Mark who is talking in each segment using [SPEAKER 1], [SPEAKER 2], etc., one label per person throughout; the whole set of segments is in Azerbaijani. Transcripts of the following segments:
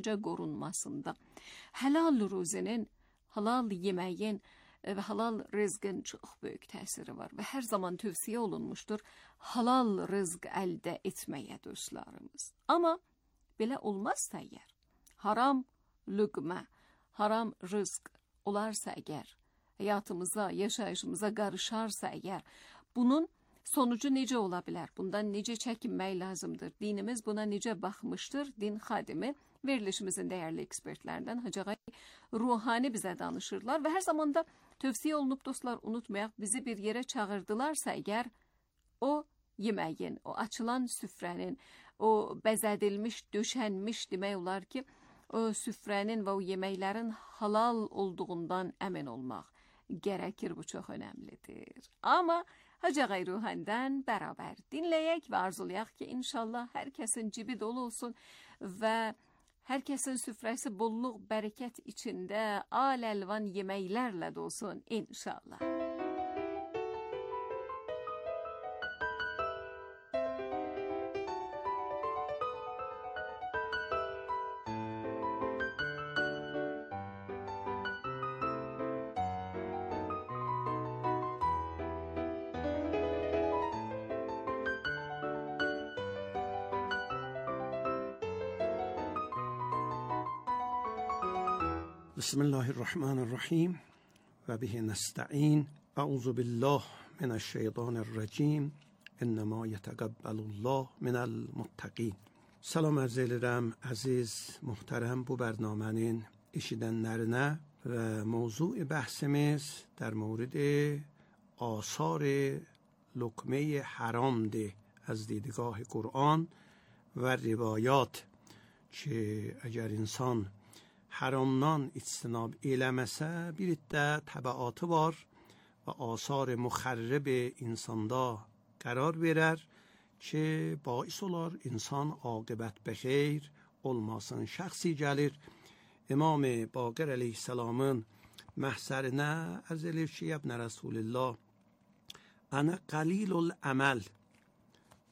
[SPEAKER 1] qorunmasında halal ruzenin, halal yeməyin və halal rızqın çox böyük təsiri var və hər zaman tövsiyə olunmuşdur halal rızq əldə etməyə dostlarımız. Amma belə olmazsa əgər, haram lüqmə, haram rızq olarsa əgər, həyatımıza, yaşayışımıza qarışarsa əgər, bunun sonucu necə ola bilər? Bundan necə çəkinmək lazımdır? Dinimiz buna necə baxmışdır? Din xadimi, verilişimizin dəyərli ekspertlərindən Hacı Ağay Ruhani bizə danışırlar və hər zaman da tövsiyə olunub dostlar, unutmayaq, bizi bir yerə çağırdılarsa əgər, o yeməyin, o açılan süfrənin, o bəzədilmiş, döşənmiş demək olar ki, o süfrənin və o yeməklərin halal olduğundan əmin olmaq gərəkir, bu çox önəmlidir. Amma Hacı Ağay Ruhani'dən bərabər dinləyək və arzulayaq ki, inşallah hər kəsin cibi dolu olsun və hər kəsin süfrəsi bollluq, bərəkət içində al-əlvan yeməklərlə dolsun inşallah.
[SPEAKER 2] بسم الله الرحمن الرحیم و به نستعین. اعوذ بالله من الشیطان الرجیم. انما یتقبل الله من المتقین. Salam arz edirəm əziz, muhterem bu برنامهnin eşidənlərinə və mövzu bəhsimiz در مورد آثار لقمه حرامdır از دیدگاه قرآن و روایات که اگر انسان حرامdan اجتناب eləməsə bir iddə təbəatı var və asar müxərrib insanda qərar verər ki, bais olar insan aqibət bexeyr olmasın. Şəxsi gəlir İmam Baqir əleyhissalamın məhsərinə ərz edir ki, ibn Rasulullah, ana qalilul əməl,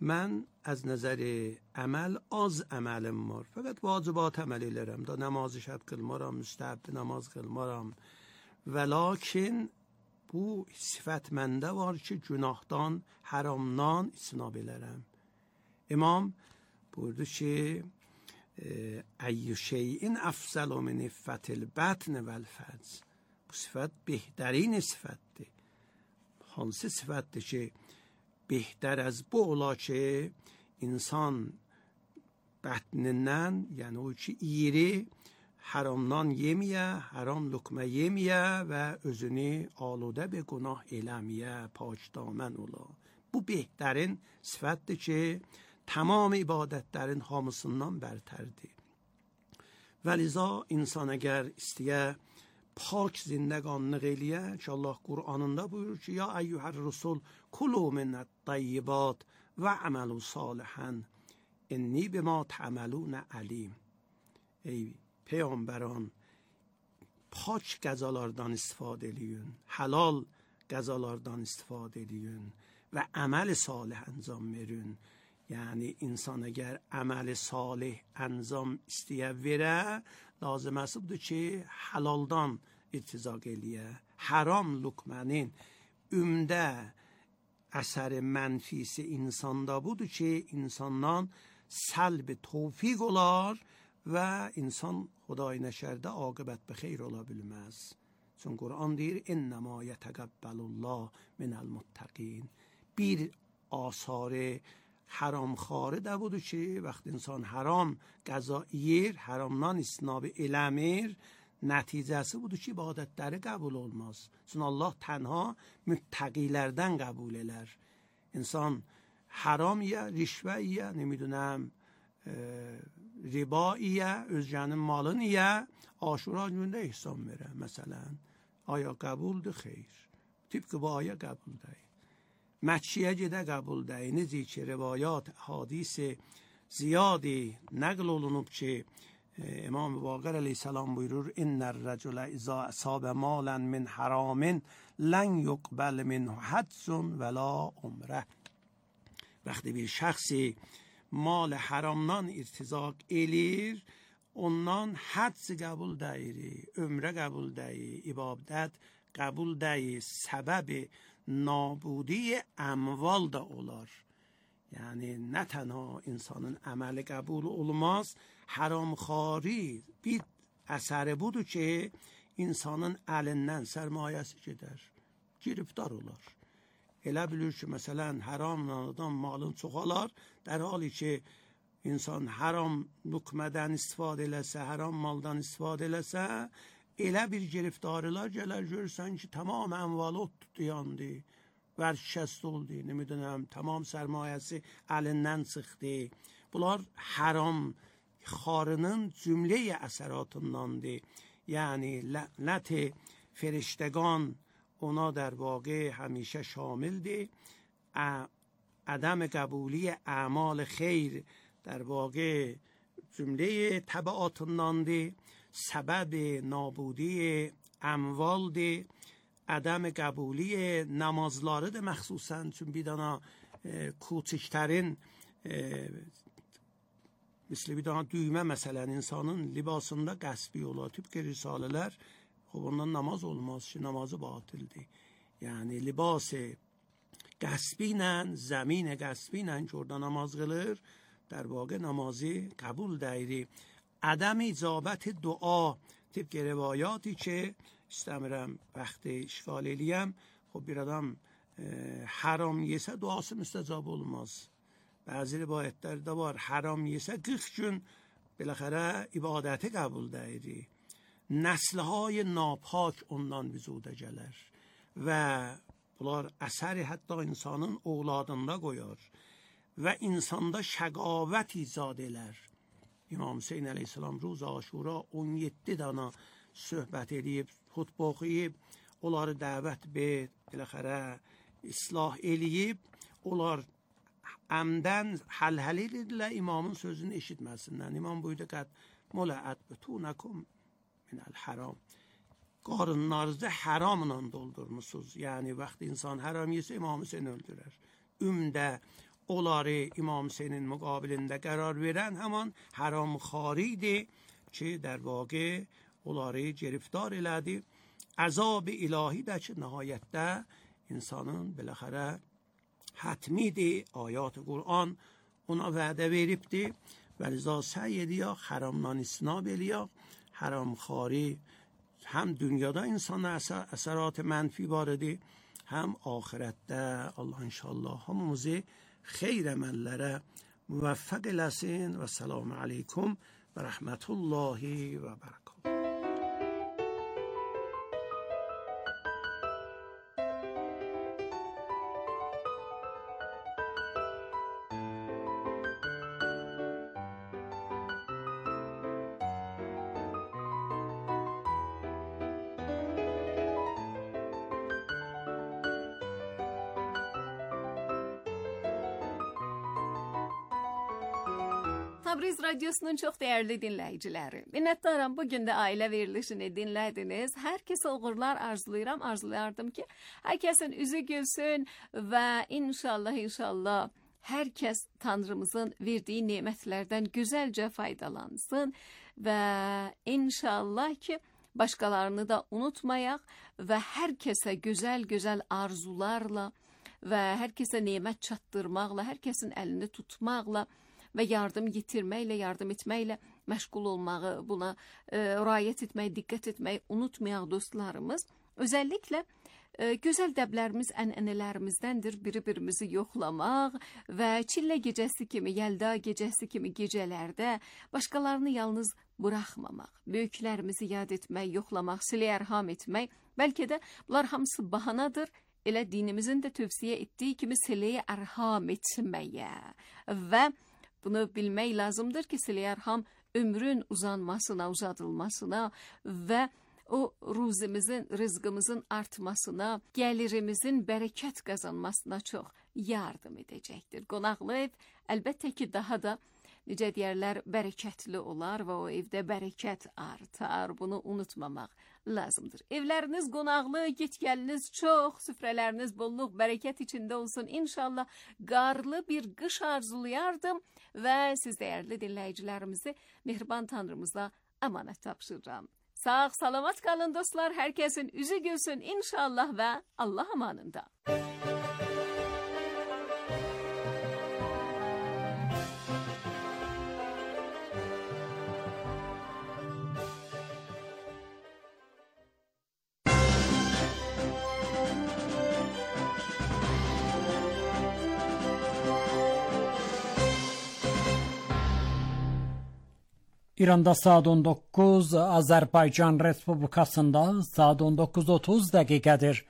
[SPEAKER 2] mən از نظر عمل az əməlim var. Fəqət vacibat əməl elərəm. Da namazı şəb qılmaram, müstəhəbbi namaz qılmaram. Və lakin bu sifət məndə var ki, günahdan, haramdan istinab elərəm. İmam buyurdu ki, əyyü şeyin əfzəlu min iffətil bətn vəl fərc. Bu sifət behtərin sifətdir. Hansı sifətdir ki, بهتر از bu ola ki, insan bətnindən, yəni o ki, iri, haramdan yeməyə, haram lüqmə yeməyə və özünü aludə bir günah eləməyə, pakdamən ola. Bu behtərin sifətdir ki, tamam ibadətlərin hamısından bərtərdir. Və liza insan əgər istəyə پاک زندگانlıq eləyə ki, Allah Qur'anında buyurur ki, ya eyyuhər rusul kulu minət tayyibat və əməlu salihən inni bima tə'məlunə əlim. Ey peyğəmbərان, pak qəzalardan istifadə eləyin, halal qəzalardan istifadə eləyin və əməl salih əncam verin. Yəni insan əgər əməli salih əncam istəyə verə, lazıməsi budur ki, halaldan irtizaq eləyə. Haram lüqmənin ümdə əsəri mənfisi insanda budur ki, insandan səlb tövfiq olar və insan Xuday nəşərdə aqibət bixeyr ola bilməz. Çünki Qur'an deyir, innəmə yətəqəbbəlullah minəl muttəqin. Bir asarı حرام خاره ده بودو که وقت انسان حرام غذا yer, haramdan istinab eləmir, nəticəsi budur ki, ibadətləri qəbul olmaz. Çünki Allah tənha müttəqilərdən qəbul elər. İnsan haram ya, rişvə ya, nemiدونم riba ya, özgənin malını ya, aşura günündə ihsan verə məsələn. Aya qəbuldur, xeyr. Tıpkı bu aya qəbuldur. مچیه جده قبول ده. نیزی که روایات حدیث زیادی نقل olunub ki, İmam Baqir aleyhissalam buyurur, İnner racule izâ asâbe mâlen min harâmin len yuqbel minhu haccun ve la umre. Vəxti bir şəxsi mal haramdan irtizaq elir, ondan hadz qəbul deyiri, ömrə qəbul deyir, ibadət qəbul deyir, səbəbi nabudi اموال da olar. Yəni nə tənha insanın əməli qəbul olmaz, haramxari bir əsəri budur ki, insanın əlindən sərmayəsi gedər, giriftar olar. Elə bilir ki, məsələn, haramla adam malın çoxalar, در حالی ki, insan haram lukmədən istifadə eləsə, haram maldan istifadə eləsə, elə bir giriftarılar gələr, görürsən ki, tamam əmvalı tutuyandı, ورشکست oldu, نمیدونم tamam sərmayəsi əlindən çıxdı. Bunlar haram xarının cümləyə əsəratındandır. Yəni لعنت فرشتگان اونا در واقع همیشه شاملده. عدم قبولی اعمال خیر در واقع جمله تبعاتındandır. سبب نابودی اموالdır. عدم قبولی namazları da məxsusən, çünki bir dana küçüklərin مثل bir dana düymə məsələn insanın libasında qəsbi olar. Tübki risalələr, ondan namaz olmaz ki, namazı batildir. Yəni libası qəsbi ilə, zəmin qəsbi ilə ki, orada namaz qılır, در واقع namazı qəbul deyir. عدم اجابت دعا طبق روایاتی که istəmirəm vaxtı işgal eləyəm. خب bir adam haram yesə duası müstəcab olmaz. Bəzi rivayətlərdə var, haram yesə 40 gün بالاخره ibadəti qəbul deyir. Nəslهای napak ondan vücuda gələr və bunlar əsəri hətta insanın oğladında qoyar və insanda şəqavət icad elər. İmam Hüseyin əleyhissalam روز عاشورا 17 dana söhbət edib, xutbə oxuyub, onları dəvət be, biləxərə, islah eləyib, onlar əmdən həl-həl edirlər imamın sözünü eşitməsinlər. İmam buyurdu qət mələət bütunəkum minəl haram. Qarınlarınızı haramla doldurmuşsunuz. Yəni, vaxt insan haram yesə İmam Hüseyin öldürər. Ümdə onları İmam Hüseynin müqabilində qərar verən həman haramxaridir ki, در واقع onları گرفتار elədi. Əzab ilahi də ki, nəhayətdə insanın biləxərə hətmidir. Ayat-ı Qur'an ona vədə veribdir. Və liza səy ediyək, haramdan istinab eləyək. Haramxari həm dünyada insana əsərat mənfi varıdır, həm axirətdə. Allah inşallah hamımızı xeyr əməllərə müvəffəq eləsin. Və selamu aleykum və rəhmətullahi və bərəkatuhu.
[SPEAKER 1] Tabriz Radyosu'nun çok değerli dinleyicileri. Minnettarım, bugün de aile verilişini dinlediniz. Herkese uğurlar arzulayardım ki herkesin yüzü gülsün ve inşallah herkes Tanrımızın verdiği nimetlerden güzelce faydalansın ve inşallah ki başkalarını da unutmayak ve herkese güzel arzularla ve herkese nimet çattırmakla, herkesin elini tutmakla və yardım yetirməklə, yardım etməklə məşğul olmağı, buna riayət etmək, diqqət etmək unutmayaq dostlarımız. Özəlliklə gözəl dəblərimiz ənənələrimіздəndir bir-birimizi yoxlamaq və çillə gecəsi kimi, yəlda gecəsi kimi gecələrdə başqalarını yalnız buraxmamaq, böyüklərimizi yad etmək, yoxlamaq, silə-ərham etmək, bəlkə də bunlar hamısı bahanadır. Elə dinimizin də tövsiyə etdiyi kimi silə-ərham etməyə və bunu bilmək lazımdır ki, silə-ərham ömrün uzadılmasına və o rızqımızın artmasına, gəlirimizin bərəkət qazanmasına çox yardım edəcəkdir. Qonaqlı ev əlbəttə ki, daha da necə deyərlər, bərəkətli olar və o evdə bərəkət artar. Bunu unutmamaq lazımdır. Evləriniz qonaqlı, get-gəliniz çox, süfrələriniz bolluk, bərəkət içində olsun. İnşallah qarlı bir qış arzulayardım və siz dəyərli dinləyicilərimizi mehriban Tanrımıza əmanət tapşırıram. Sağ, salamat qalın dostlar. Hər kəsin üzü gülsün inşallah və Allah amanında.
[SPEAKER 3] İranda saat 19, Azərbaycan Respublikasında saat 19:30 dəqiqədir.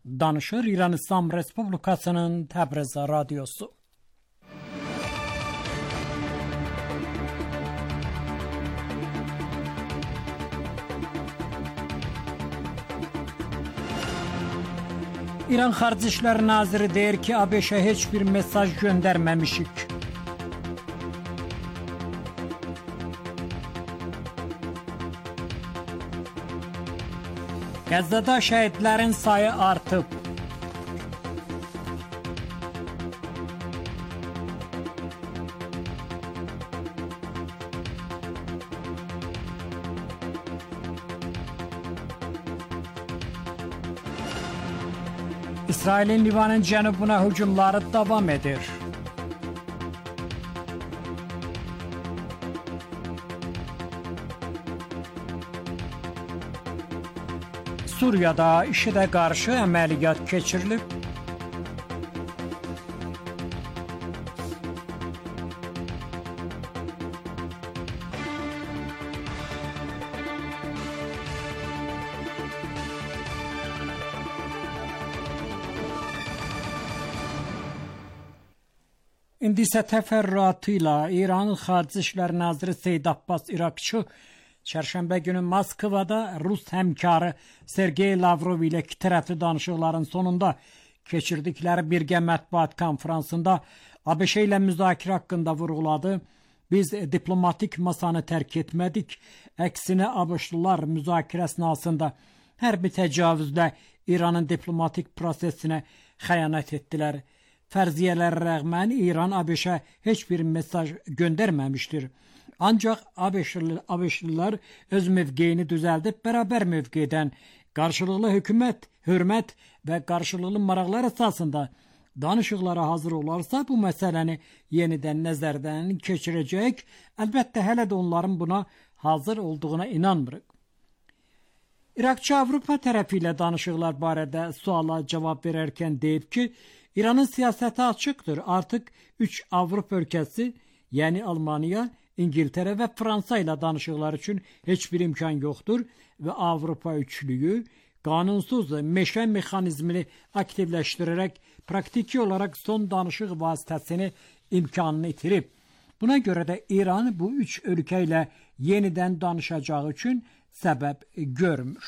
[SPEAKER 3] Danışır İran İslam Respublikasının Təbriz radiosu. İran Xarici İşlər Naziri deyir ki, ABŞ-ə heç bir mesaj göndərməmişik. Qəzzada şəhidlərin sayı artıb. İsrailin Livanın cənubuna hücumları davam edir. Suriyada IŞİDə qarşı əməliyyat keçirilib. İndi isə təfərrüatıyla İran Xarici İşlər Naziri Seyid Abbas İrakçı Çərşənbə günü Moskvada Rus həmkarı Sergey Lavrov ilə iki tərəfli danışıqların sonunda keçirdikləri birgə mətbuat konfransında ABŞ ilə müzakirə haqqında vurğuladı. Biz diplomatik masanı tərk etmədik. Əksinə ABŞ-lılar müzakirə əsnasında hərbi təcavüzlə İranın diplomatik prosesinə xəyanət etdilər. Fərziyyələrə rəğmən İran ABŞ-ə heç bir mesaj göndərməmişdir. Ancaq ABŞ-lılar öz mövqeyini düzəldib bərabər mövqedən qarşılıqlı hökumət, hörmət və qarşılıqlı maraqlar əsasında danışıqlara hazır olarsa bu məsələni yenidən nəzərdən keçirəcək. Əlbəttə hələ də onların buna hazır olduğuna inanmırıq. İraqçı Avropa tərəfi ilə danışıqlar barədə suala cavab verərkən deyib ki, İranın siyasəti açıqdır. Artıq 3 Avropa ölkəsi, yəni Almaniya, İngiltərə və Fransa ilə danışıqlar üçün heç bir imkan yoxdur və Avropa üçlüyü qanunsuz meşə mexanizmini aktivləşdirərək praktiki olaraq son danışıq vasitəsini imkanını itirib. Buna görə də İran bu 3 ölkə ilə yenidən danışacağı üçün səbəb görmür.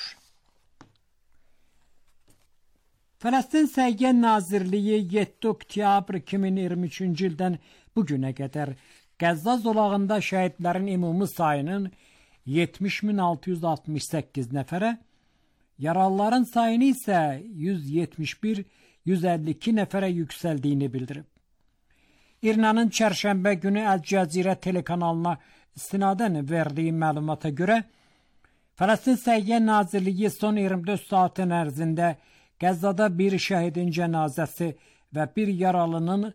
[SPEAKER 3] Fələstin Səhiyyə Nazirliyi 7 oktyabr 2023-cü ildən bugünə qədər Qəzza zolağında şəhidlərin ümumi sayının 70.668 nəfərə, yaralıların sayını isə 171-152 nəfərə yüksəldiyini bildirib. İrnanın çərşənbə günü Əl-Cəzirə telekanalına istinadən verdiyi məlumata görə, Fələstin Səhiyyə Nazirliyi son 24 saatın ərzində Qəzzada bir şəhidin cənazəsi və bir yaralının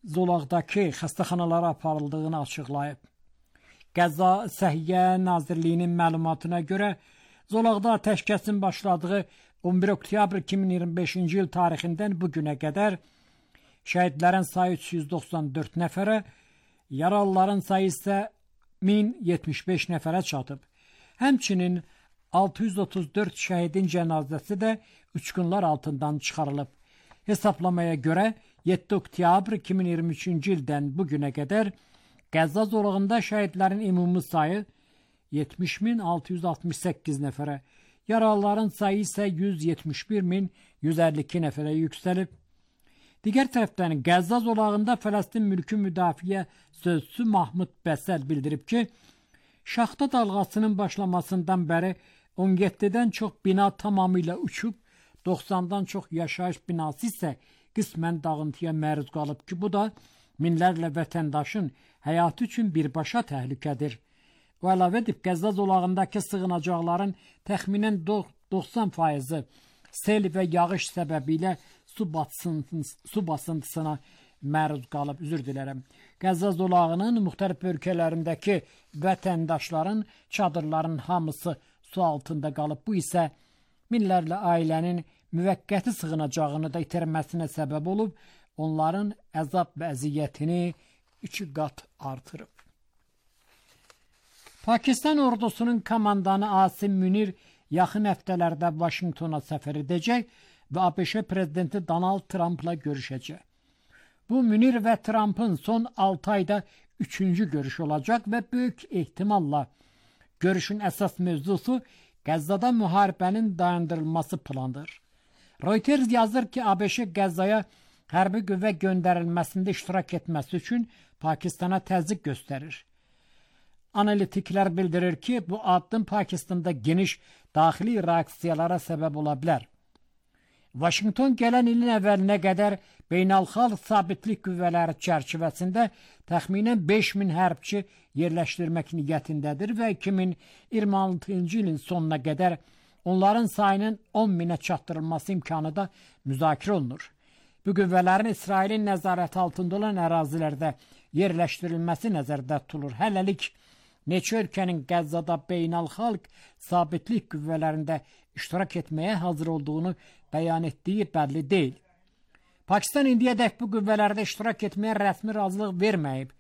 [SPEAKER 3] zolaqdakı xəstəxanalara aparıldığını açıqlayıb. Qəzza Səhiyyə Nazirliyinin məlumatına görə zolaqda atəşkəsin başladığı 11 oktyabr 2025-ci il tarixindən bugünə qədər şəhidlərin sayı 394 nəfərə, yaralıların sayı isə 1075 nəfərə çatıb. Həmçinin 634 şəhidin cənazəsi də uçqunlar altından çıxarılıb. Hesablamaya görə 7 oktyabr 2023-cü ildən bugünə qədər Qəzza zolağında şəhidlərin ümumi sayı 70.668 nəfərə, yaralıların sayı isə 171.152 nəfərə yüksəlib. Digər tərəfdən Qəzza zolağında Fələstin mülki müdafiə sözçüsü Mahmud Bəsəl bildirib ki, şaxta dalğasının başlamasından bəri 17-dən çox bina tamamilə uçub, 90-dan çox yaşayış binası isə qismən dağıntıya məruz qalıb ki, bu da minlərlə vətəndaşın həyatı üçün birbaşa təhlükədir. O əlavə edib, Qəzza zolağındakı sığınacaqların təxminən 90%-i sel və yağış səbəbilə su basıntısına məruz qalıb. Üzr dilərəm. Qəzza zolağının müxtəlif ölkələrindəki vətəndaşların çadırların hamısı su altında qalıb. Bu isə minlərlə ailənin müvəqqəti sığınacağını da itirməsinə səbəb olub, onların əzab və əziyyətini 2 qat artırıb. Pakistan ordusunun komandanı Asim Münir yaxın həftələrdə Vaşinqtona səfər edəcək və ABŞ prezidenti Donald Trumpla görüşəcək. Bu, Münir və Trumpın son 6 ayda 3-cü görüş olacaq və böyük ehtimalla görüşün əsas mövzusu Qəzzada müharibənin dayandırılması planıdır. Reuters yazır ki, ABŞ Qəzzaya hərbi qüvvə göndərilməsində iştirak etməsi üçün Pakistana təzyiq göstərir. Analitiklər bildirir ki, bu addım Pakistanda geniş daxili reaksiyalara səbəb ola bilər. Vaşinqton gələn ilin əvvəlinə qədər beynəlxalq sabitlik qüvvələri çərçivəsində təxminən 5000 hərbçi yerləşdirmək niyyətindədir və 2026-cı ilin sonuna qədər onların sayının 10.000-ə çatdırılması imkanı da müzakirə olunur. Bu qüvvələrin İsrailin nəzarəti altında olan ərazilərdə yerləşdirilməsi nəzərdə tutulur. Hələlik neçə ölkənin Qəzzada beynəlxalq sabitlik qüvvələrində iştirak etməyə hazır olduğunu bəyan etdiyi bəlli deyil. Pakistan indiyədək bu qüvvələrdə iştirak etməyə rəsmi razılıq verməyib.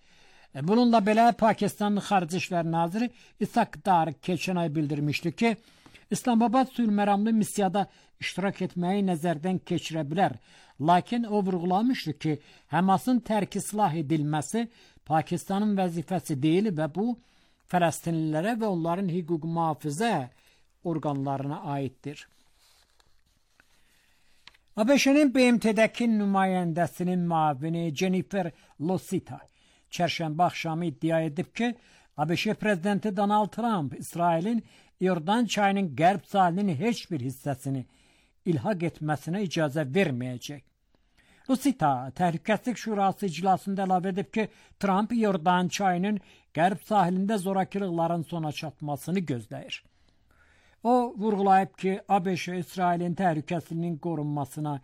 [SPEAKER 3] Bununla belə Pakistanın Xarici İşlər Naziri İshaq Dar keçən ay bildirmişdi ki, İslamabad sülhməramlı missiyada iştirak etməyi nəzərdən keçirə bilər. Lakin o vurğulamışdı ki, Həmasın tərki silah edilməsi Pakistanın vəzifəsi deyil və bu Fələstinlilərə və onların hüquq mühafizə orqanlarına aiddir. ABŞ-nin BMT-dəki nümayəndəsinin müavini Jennifer Losita çərşənbə axşamı iddia edib ki, ABŞ prezidenti Donald Trump İsrailin İordan çayının qərb sahilinin heç bir hissəsini ilhaq etməsinə icazə verməyəcək. Losita Təhlükəsizlik Şurası iclasında əlavə edib ki, Trump İordan çayının qərb sahilində zorakılıqların sona çatmasını gözləyir. O vurğulayıb ki, ABŞ İsrailin təhlükəsizliyinin qorunmasına,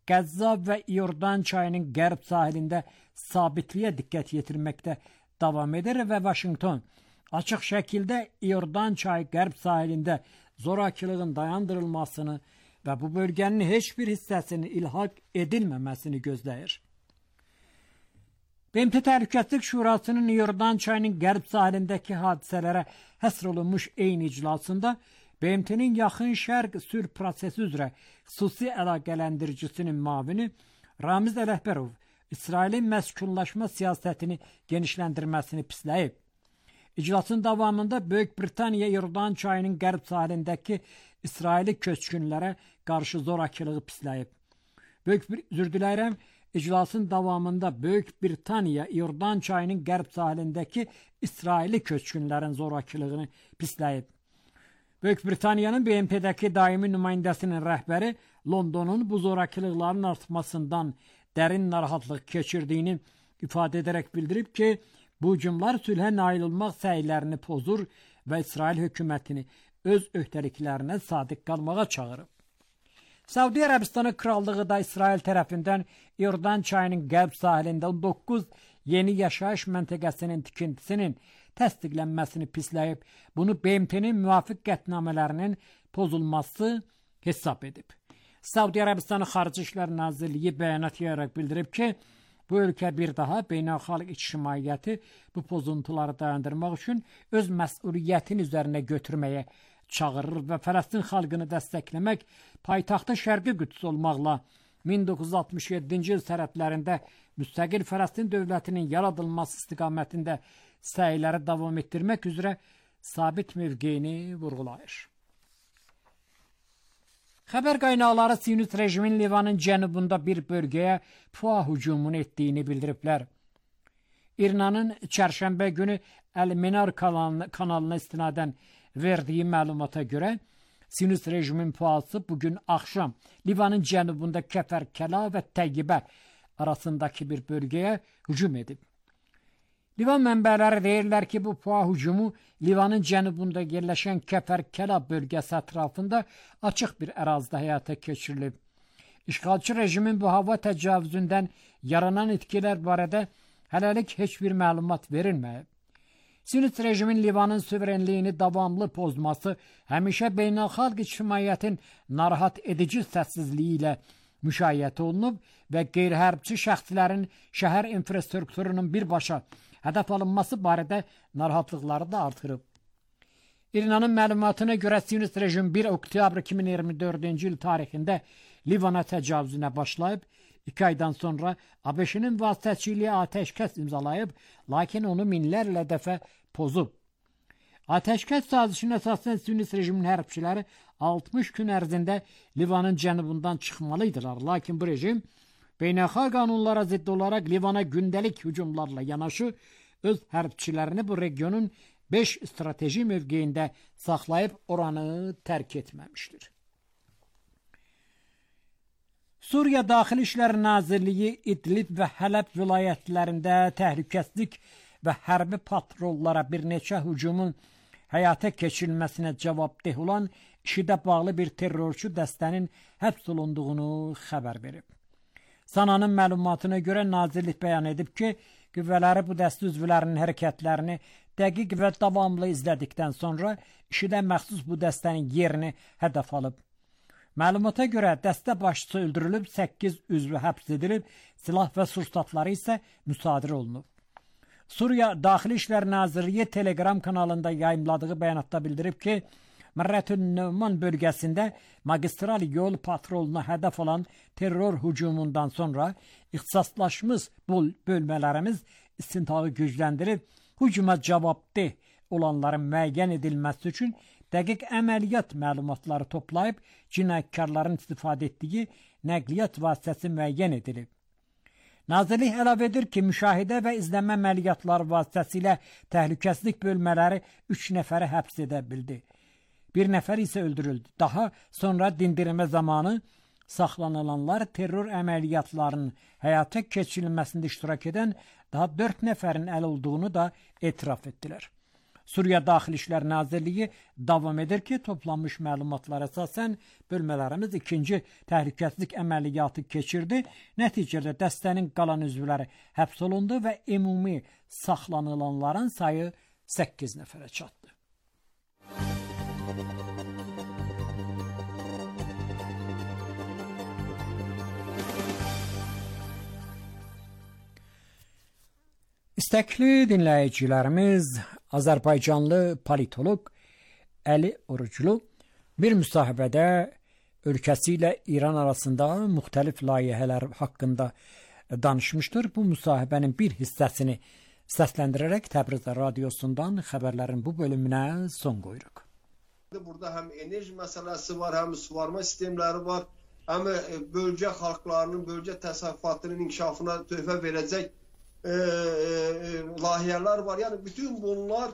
[SPEAKER 3] Qəzza və İordan çayının qərb sahilində sabitliyə diqqət yetirməkdə davam edir və Vaşinqton açıq şəkildə İordan çayı qərb sahilində zorakılığın dayandırılmasını və bu bölgənin heç bir hissəsinin ilhaq edilməməsini gözləyir. BMT Təhlükəsizlik Şurasının İordan çayının qərb sahilindəki hadisələrə həsr olunmuş eyni iclasında BMT-nin yaxın şərq sülh prosesi üzrə xüsusi əlaqələndiricinin müavini Ramiz Ələkbərov İsrailin məskunlaşma siyasətini genişləndirməsini pisləyib. İclasın davamında Böyük Britaniya İordan çayının qərb sahilindəki İsraili köçkünlərə qarşı zorakılığı pisləyib. İclasın davamında Böyük Britaniya İordan çayının qərb sahilindəki İsraili köçkünlərin zorakılığını pisləyib. Böyük Britaniyanın BMT-dəki daimi nümayəndəsinin rəhbəri Londonun bu zorakılıqların artmasından dərin narahatlıq keçirdiyini ifadə edərək bildirib ki, bu hücumlar sülhə nail olmaq səylərini pozur və İsrail hökumətini öz öhdəliklərinə sadiq qalmağa çağırıb. Səudiyyə Ərəbistanı Krallığı da İsrail tərəfindən İordan çayının qərb sahilində 19 yeni yaşayış məntəqəsinin tikintisinin təsdiqlənməsini pisləyib, bunu BMT-nin müvafiq qətnamələrinin pozulması hesab edib. Səudiyyə Ərəbistanı Xarici İşlər Nazirliyi bəyanat yayaraq bildirib ki, bu ölkə bir daha beynəlxalq ictimaiyyəti bu pozuntuları dayandırmaq üçün öz məsuliyyətini üzərinə götürməyə çağırır və Fələstin xalqını dəstəkləmək, paytaxtı Şərqi Qüds olmaqla 1967-ci il sərhədlərində müstəqil Fələstin dövlətinin yaradılması istiqamətində səyləri davam etdirmək üzrə sabit mövqeyini vurğulayır. Xəbər qaynaqları Siyonist rejimin Livanın cənubunda bir bölgəyə PUA hücumunu etdiyini bildiriblər. İrnanın çərşənbə günü Əl-Menar kanalına istinadən verdiyi məlumata görə Siyonist rejimin PUA-sı bugün axşam Livanın cənubunda Kəfərkəla və Təyyibə arasındakı bir bölgəyə hücum edib. Livan mənbələri deyirlər ki, bu PUA hücumu Livanın cənubunda yerləşən Kəfərkəla bölgəsi ətrafında açıq bir ərazidə həyata keçirilib. İşğalçı rejimin bu hava təcavüzündən yaranan itkilər barədə hələlik heç bir məlumat verilməyib. Siyonist rejimin Livanın suverenliyini davamlı pozması həmişə beynəlxalq ictimaiyyətin narahat edici səssizliyi ilə müşayiət olunub və qeyri-hərbçi şəxslərin şəhər infrastrukturunun birbaşa hədəf alınması barədə narahatlıqları da artırıb. İrnanın məlumatına görə Siyonist rejim 1 oktyabr 2024-cü il tarixində Livana təcavüzünə başlayıb, 2 aydan sonra ABŞ-nin vasitəçiliyi atəşkəs imzalayıb, lakin onu minlərlə dəfə pozub. Atəşkəs sazişinə əsasən Siyonist rejimin hərbçiləri 60 gün ərzində Livanın cənubundan çıxmalıydırlar, lakin bu rejim beynəlxalq qanunlara zidd olaraq Livana gündəlik hücumlarla yanaşı öz hərbçilərini bu regionun 5 strateji mövqeyində saxlayıb oranı tərk etməmişdir. Suriya Daxili İşlər Nazirliyi İdlib və Hələb vilayətlərində təhlükəsizlik və hərbi patrollara bir neçə hücumun həyata keçirilməsinə cavabdeh olan IŞİD-ə bağlı bir terrorçu dəstənin həbs olunduğunu xəbər verib. Sananın məlumatına görə nazirlik bəyan edib ki, qüvvələri bu dəstə üzvlərinin hərəkətlərini dəqiq və davamlı izlədikdən sonra IŞİD-ə məxsus bu dəstənin yerini hədəf alıb. Məlumata görə dəstə başçısı öldürülüb, 8 üzvü həbs edilib, silah və sursatları isə müsadirə olunub. Suriya Daxili İşlər Nazirliyi Telegram kanalında yayımladığı bəyanatda bildirib ki, Mərrətün-Nəvman bölgəsində magistral yol patroluna hədəf olan terror hücumundan sonra ixtisaslaşmış bölmələrimiz istintağı gücləndirib, hücuma cavabdeh olanların müəyyən edilməsi üçün dəqiq əməliyyat məlumatları toplayıb, cinayətkarların istifadə etdiyi nəqliyyat vasitəsi müəyyən edilib. Nazirlik əlavə edir ki, müşahidə və izləmə əməliyyatları vasitəsilə təhlükəsizlik bölmələri 3 nəfəri həbs edə bildi. Bir nəfər isə öldürüldü. Daha sonra dindirmə zamanı saxlanılanlar terror əməliyyatlarının həyata keçirilməsində iştirak edən daha 4 nəfərin əl olduğunu da etiraf etdilər. Suriya Daxili İşlər Nazirliyi davam edir ki, toplanmış məlumatlara əsasən bölmələrimiz 2-ci təhlükəsizlik əməliyyatı keçirdi. Nəticədə dəstənin qalan üzvləri həbs olundu və ümumi saxlanılanların sayı 8 nəfərə çatdı. İstəkli dinləyicilərimiz, Azərbaycanlı politoloq Əli Oruclu bir müsahibədə ölkəsi ilə İran arasında müxtəlif layihələr haqqında danışmışdır. Bu müsahibənin bir hissəsini səsləndirərək Təbriz radiosundan xəbərlərin bu bölümünə son qoyuruq.
[SPEAKER 4] Burada həm enerji məsələsi var, həm suvarma sistemləri var, həm bölgə xalqlarının, bölgə təsərrüfatının inkişafına töhfə verəcək layihələr var. Yəni bütün bunlar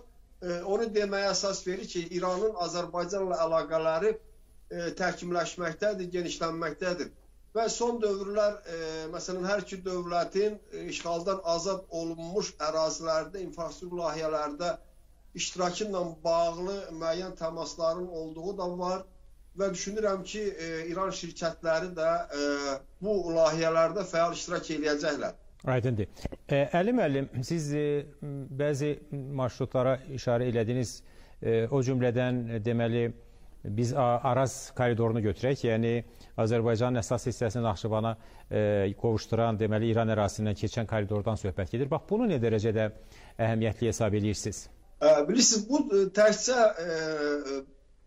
[SPEAKER 4] onu deməyə əsas verir ki, İranın Azərbaycanla əlaqələri təkmilləşməkdədir, genişlənməkdədir. Və son dövrlər, məsələn, hər iki dövlətin işğaldan azad olunmuş ərazilərdə, infrastruktur layihələrdə iştirakı ilə bağlı müəyyən təmasların olduğu da var və düşünürəm ki, İran şirkətləri də bu layihələrdə fəal iştirak edəcəklər.
[SPEAKER 5] Aydındır. Əli müəllim, siz bəzi marşrutlara işarə elədiniz, o cümlədən deməli biz Araz koridorunu götürək, yəni Azərbaycanın əsas hissəsini Naxçıvana qovuşduran, deməli İran ərazisindən keçən koridordan söhbət gedir. Bax, bunu nə dərəcədə əhəmiyyətli hesab edirsiniz?
[SPEAKER 4] Bilirsiniz,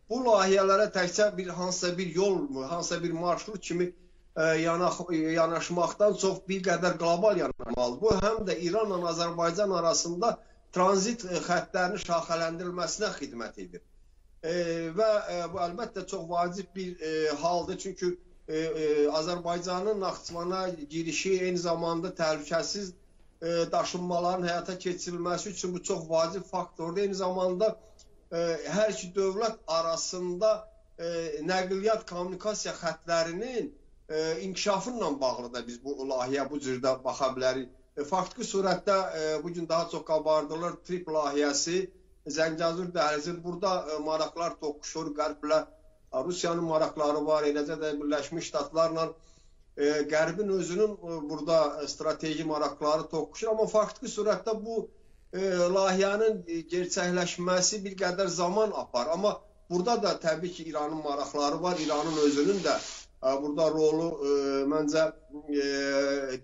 [SPEAKER 4] bu layihələrə təkcə hansısa bir yol, hansısa bir marşrut kimi yanaşmaqdan çox bir qədər qlobal yanaşmalıdır. Bu, həm də İranla Azərbaycan arasında tranzit xəttlərinin şaxələndirilməsinə xidmət edir. və bu əlbəttə çox vacib bir haldır. Çünki Azərbaycanın Naxçıvana girişi eyni zamanda təhlükəsiz daşınmaların həyata keçirilməsi üçün bu çox vacib faktordur. Eyni zamanda hər iki dövlət arasında nəqliyyat kommunikasiya xətlərinin inkişafı ilə bağlı da biz bu layihəyə bu cürdə baxa bilərik. Faktiki surətdə bugün daha çox qabardılır TRIP layihəsi, Zəngəzur dəhlizi. Burada maraqlar toqquşur, Qərblə Rusiyanın maraqları var, eləcə də Birləşmiş Ştatlarla Qərbin özünün burada strateji maraqları toqquşur. Amma faktiki surətdə bu layihənin gerçəkləşməsi bir qədər zaman apar. Amma burada da təbii ki, İranın maraqları var, İranın özünün də burada rolu məncə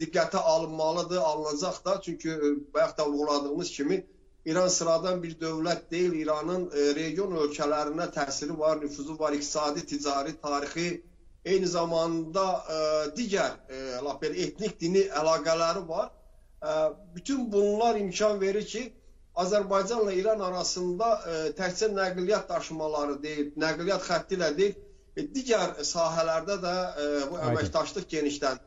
[SPEAKER 4] diqqətə alınmalıdır, alınacaq da. Çünki bayaq da vurguladığımız kimi İran sıradan bir dövlət deyil. İranın region ölkələrinə təsiri var, nüfuzu var, iqtisadi, ticari, tarixi, eyni zamanda digər etnik, dini əlaqələri var. Bütün bunlar imkan verir ki, Azərbaycanla İran arasında təkcə nəqliyyat daşımaları deyil, nəqliyyat xətti ilə deyil, digər sahələrdə də bu əməkdaşlıq genişlənir.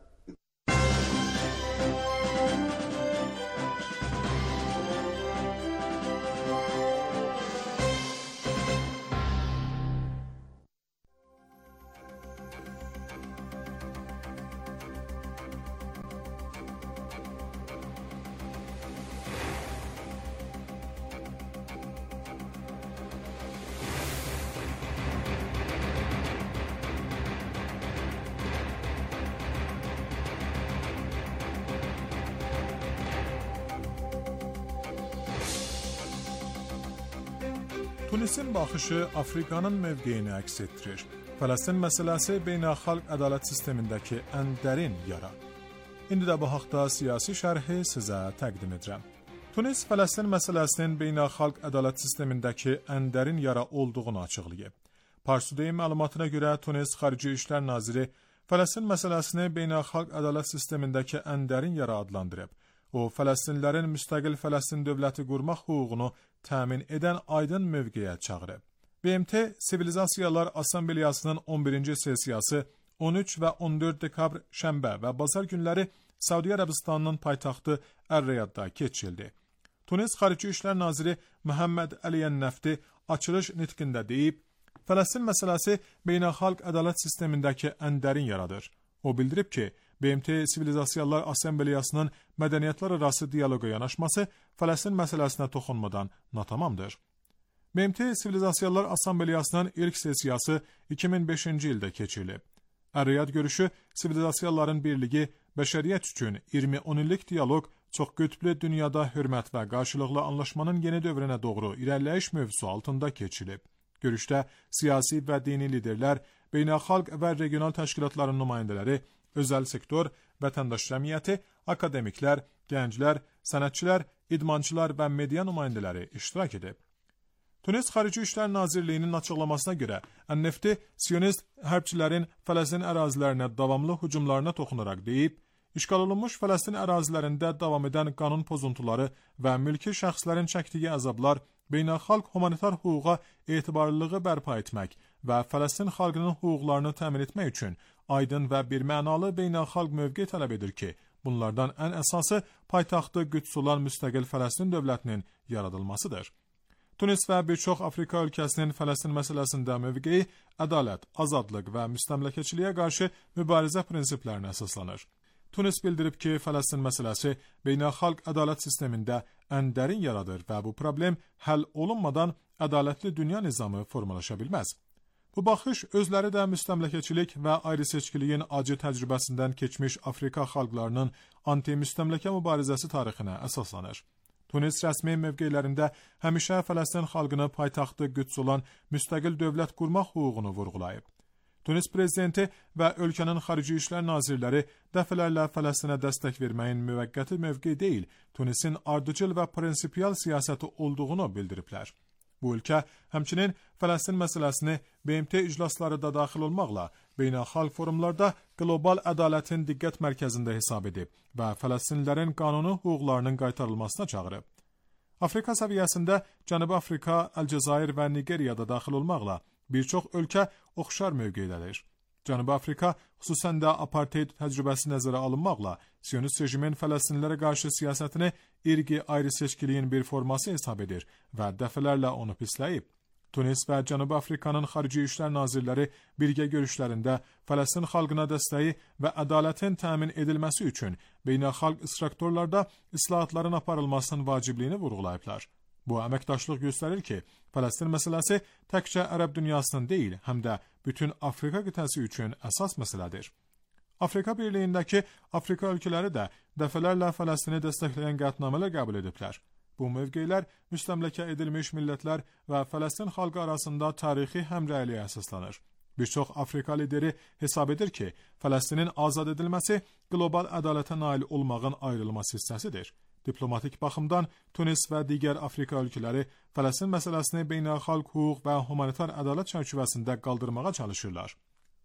[SPEAKER 6] Tunisin baxışı Afrikanın mövqeyini əks etdirir. Fələstin məsələsi beynəlxalq ədalət sistemindəki ən dərin yara. İndi də bu haqda siyasi şərhi sizə təqdim edirəm. Tunis Fələstin məsələsinin beynəlxalq ədalət sistemindəki ən dərin yara olduğunu açıqlayıb. Pars Today məlumatına görə Tunis Xarici İşlər Naziri Fələstin məsələsini beynəlxalq ədalət sistemindəki ən dərin yara adlandırıb. O, Fələstinlərin müstəqil Fələstin dövləti qurmaq hüququnu təmin edən aydın mövqeyə çağırıb. BMT Sivilizasiyalar Assambleyasının 11-ci sessiyası 13 və 14 dekabr şənbə və bazar günləri Səudiyyə Ərəbistanının paytaxtı Ər-Riyadda keçirildi. Tunis Xarici İşlər Naziri Məhəmməd Əliyən Nəfti açılış nitqində deyib, Fələstin məsələsi beynəlxalq ədalət sistemindəki ən dərin yaradır. O bildirib ki, BMT Sivilizasiyalar Assambleyasının mədəniyyətlər arası diyaloqa yanaşması Fələstin məsələsinə toxunmadan natamamdır. BMT Sivilizasiyalar Assambleyasının ilk sessiyası 2005-ci ildə keçirilib. Ər-Riyad görüşü sivilizasiyaların birliyi, bəşəriyyət üçün 20-10 illik diyaloq, çox qütblü dünyada hörmət və qarşılıqlı anlaşmanın yeni dövrünə doğru irəliləyiş mövzusu altında keçirilib. Görüşdə siyasi və dini liderlər, beynəlxalq və regional təşkilatların nümayəndələri, özəl sektor, vətəndaş cəmiyyəti, akademiklər, gənclər, sənətçilər, idmançılar və media nümayəndələri iştirak edib. Tunis Xarici İşlər Nazirliyinin açıqlamasına görə Ən-Nefti Siyonist hərbçilərin Fələstin ərazilərinə davamlı hücumlarına toxunaraq deyib, işğal olunmuş Fələstin ərazilərində davam edən qanun pozuntuları və mülki şəxslərin çəkdiyi əzablar beynəlxalq humanitar hüquqa etibarlılığı bərpa etmək və Fələstin xalqının hüquqlarını təmin etmək üçün aydın və birmənalı beynəlxalq mövqe tələb edir ki, bunlardan ən əsası paytaxtı Qüds olan müstəqil Fələstin dövlətinin yaradılmasıdır. Tunis və bir çox Afrika ölkəsinin Fələstin məsələsində mövqeyi ədalət, azadlıq və müstəmləkəçiliyə qarşı mübarizə prinsiplərinə əsaslanır. Tunis bildirib ki, Fələstin məsələsi beynəlxalq ədalət sistemində ən dərin yaradır və bu problem həll olunmadan ədalətli dünya nizamı formalaşa bilməz. Bu baxış özləri də müstəmləkəçilik və ayrı-seçkiliyin acı təcrübəsindən keçmiş Afrika xalqlarının anti-müstəmləkə mübarizəsi tarixinə əsaslanır. Tunis rəsmi mövqelərində həmişə Fələstin xalqını paytaxtı Qüds olan müstəqil dövlət qurmaq hüququnu vurğulayıb. Tunis prezidenti və ölkənin xarici işlər nazirləri dəfələrlə Fələstinə dəstək verməyin müvəqqəti mövqe deyil, Tunisin ardıcıl və prinsipial siyasəti olduğunu bildiriblər. Bu ölkə həmçinin Fələstin məsələsini BMT iclasları da daxil olmaqla beynəlxalq forumlarda qlobal ədalətin diqqət mərkəzində hesab edib və Fələstinlilərin qanuni hüquqlarının qaytarılmasına çağırıb. Afrika səviyyəsində Cənubi Afrika, Əlcəzair və Nigeriyada daxil olmaqla bir çox ölkə oxşar mövqeydədir. Cənubi Afrika xüsusən də apartheid təcrübəsi nəzərə alınmaqla Siyonist rejimin Fələstinlilərə qarşı siyasətini irqi ayrı seçkiliyin bir forması hesab edir və dəfələrlə onu pisləyib. Tunis və Cənubi Afrikanın Xarici İşlər Nazirləri birgə görüşlərində Fələstin xalqına dəstəyi və ədalətin təmin edilməsi üçün beynəlxalq istiqamətlərdə islahatların aparılmasının vacibliyini vurğulayıblar. Bu əməkdaşlıq göstərir ki, Fələstin məsələsi təkcə ərəb dünyasının deyil, həm də bütün Afrika qitəsi üçün əsas məsələdir. Afrika Birliyindəki Afrika ölkələri də dəfələrlə Fələstini dəstəkləyən qətnamələr qəbul ediblər. Bu mövqeylər müstəmləkə edilmiş millətlər və Fələstin xalqı arasında tarixi həmrəyliyə əsaslanır. Bir çox Afrika lideri hesab edir ki, Fələstinin azad edilməsi qlobal ədalətə nail olmağın ayrılmaz hissəsidir. Diplomatik baxımdan Tunis və digər Afrika ölkələri Fələstin məsələsini beynəlxalq hüquq və humanitar ədalət çərçivəsində qaldırmağa çalışırlar.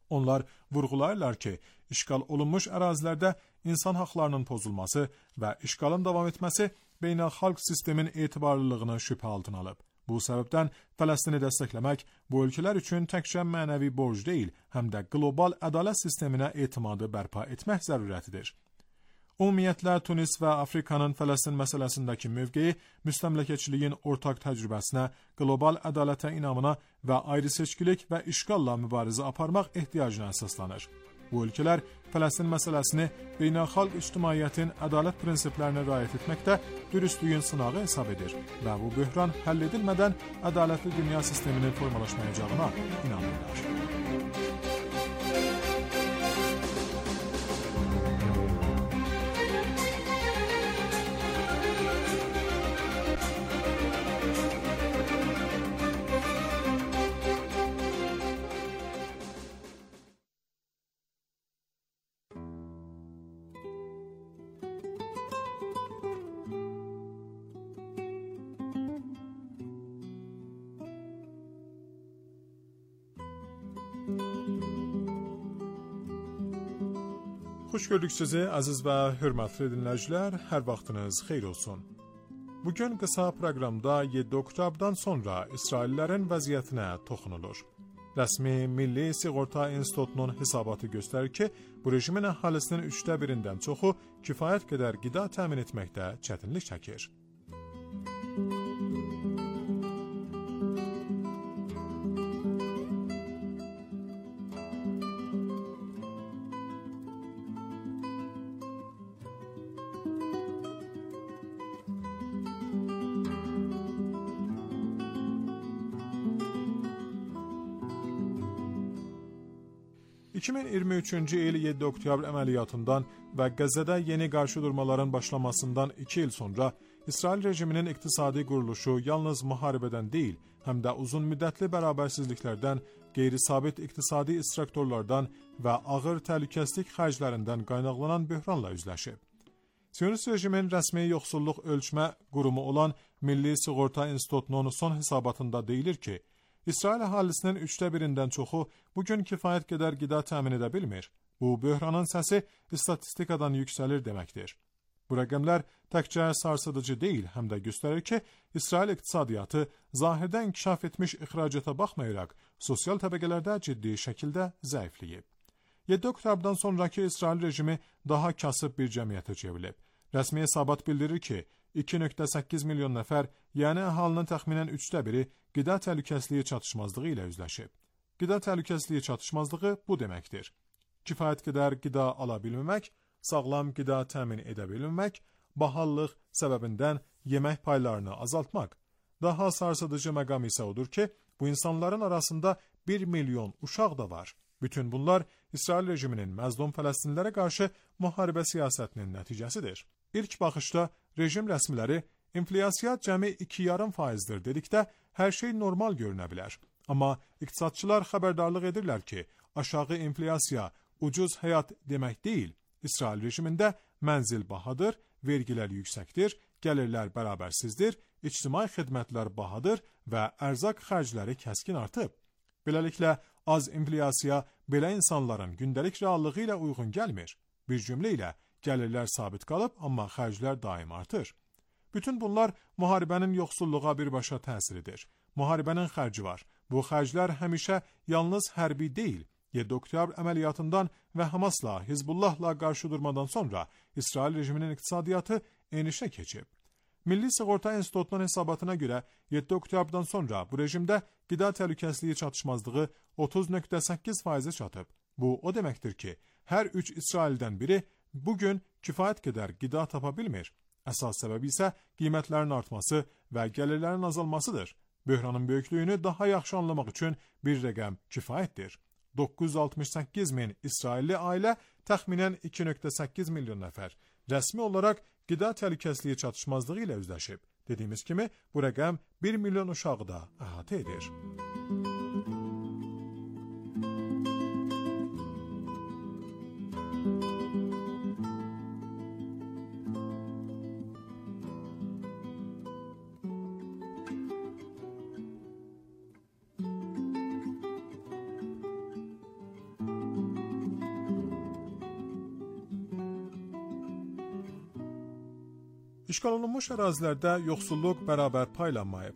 [SPEAKER 6] Onlar vurğulayırlar ki, işğal olunmuş ərazilərdə insan haqlarının pozulması və işğalın davam etməsi beynəlxalq sistemin etibarlılığını şübhə altına alıb. Bu səbəbdən Fələstini dəstəkləmək bu ölkələr üçün təkcə mənəvi borc deyil, həm də qlobal ədalət sisteminə etimadı bərpa etmək zərurətidir. Ümumiyyətlə, Tunis və Afrikanın Fələstin məsələsindəki mövqeyi müstəmləkəçiliyin ortaq təcrübəsinə, qlobal ədalətə inamına və ayrıseçkilik və işğalla mübarizə aparmaq ehtiyacına əsaslanır. Bu ölkələr Fələstin məsələsini beynəlxalq ictimaiyyətin ədalət prinsiplərinə riayət etməkdə dürüstlüyün sınağı hesab edir və bu böhran həll edilmədən ədalətli dünya sisteminin formalaşmayacağına inanırlar. Xoş gördük sizi, əziz və hörmətli dinləyicilər, hər vaxtınız xeyir olsun. Bugün qısa proqramda 7 oktyabdan sonra İsraillərin vəziyyətinə toxunulur. Rəsmi Milli Sığorta İnstitutunun hesabatı göstərir ki, bu rejimin əhalisinin 1/3-dən çoxu kifayət qədər qida təmin etməkdə çətinlik çəkir. ...2023-cü il 7 oktyabr əməliyyatından və Qəzzədə yeni qarşıdurmaların başlamasından 2 il sonra İsrail rejiminin iqtisadi quruluşu yalnız müharibədən deyil, həm də uzun müddətli bərabərsizliklərdən, qeyri-sabit iqtisadi istiqamətlərdən və ağır təhlükəsizlik xərclərindən qaynaqlanan böhranla üzləşib. Siyonist rejimin rəsmi yoxsulluq ölçmə qurumu olan Milli Sığorta İnstitutunun son hesabatında deyilir ki, İsrail əhalisinin 1/3-dən çoxu bugün kifayət qədər qida təmin edə bilmir. Bu, böhranın səsi statistikadan yüksəlir deməkdir. Bu rəqəmlər təkcə sarsıdıcı deyil, həm də göstərir ki, İsrail iqtisadiyyatı zahirdə inkişaf etmiş ixracata baxmayaraq, sosial təbəqələrdə ciddi şəkildə zəifləyib. 7 oktyabdan sonraki İsrail rejimi daha kasıb bir cəmiyyətə çevrilib. Rəsmi hesabat bildirir ki, 2,8 milyon nəfər, yəni əhalinin təxminən 1/3 qida təhlükəsizliyi çatışmazlığı ilə üzləşib. Qida təhlükəsizliyi çatışmazlığı bu deməkdir: kifayət qədər qida ala bilməmək, sağlam qida təmin edə bilməmək, bahallıq səbəbindən yemək paylarını azaltmaq. Daha sarsıdıcı məqam isə odur ki, bu insanların arasında 1 milyon uşaq da var. Bütün bunlar İsrail rejiminin məzlum Fələstinlilərə qarşı müharibə siyasətinin nəticəsidir. İlk baxışda rejim rəsmiləri inflyasiya cəmi 2,5%-dir dedikdə hər şey normal görünə bilər. Amma iqtisadçılar xəbərdarlıq edirlər ki, aşağı inflyasiya ucuz həyat demək deyil. İsrail rejimində mənzil bahadır, vergilər yüksəkdir, gəlirlər bərabərsizdir, ictimai xidmətlər bahadır və ərzaq xərcləri kəskin artıb. Beləliklə, az inflyasiya belə insanların gündəlik reallığı ilə uyğun gəlmir. Bir cümlə ilə, gəlirlər sabit qalıb, amma xərclər daim artır. Bütün bunlar müharibənin yoxsulluğa birbaşa təsiridir. Müharibənin xərci var. Bu xərclər həmişə yalnız hərbi deyil. 7 oktyabr əməliyyatından və Hamasla, Hizbullahla qarşı durmadan sonra İsrail rejiminin iqtisadiyyatı enişə keçib. Milli Sığorta İnstitutunun hesabatına görə 7 oktyabrdan sonra bu rejimdə qida təhlükəsizliyi çatışmazlığı 30.8%-ə çatıb. Bu o deməkdir ki, hər 3 İsraildən biri bugün kifayət qədər qida tapa bilmir. Əsas səbəbi isə qiymətlərin artması və gəlirlərin azalmasıdır. Böhranın böyüklüyünü daha yaxşı anlamaq üçün bir rəqəm kifayətdir. 968 min İsrailli ailə, təxminən 2.8 milyon nəfər rəsmi olaraq qida təhlükəsizliyi çatışmazlığı ilə üzləşib. Dediyimiz kimi, bu rəqəm 1 milyon uşağı da əhatə edir. İşğal olunmuş ərazilərdə yoxsulluq bərabər paylanmayıb.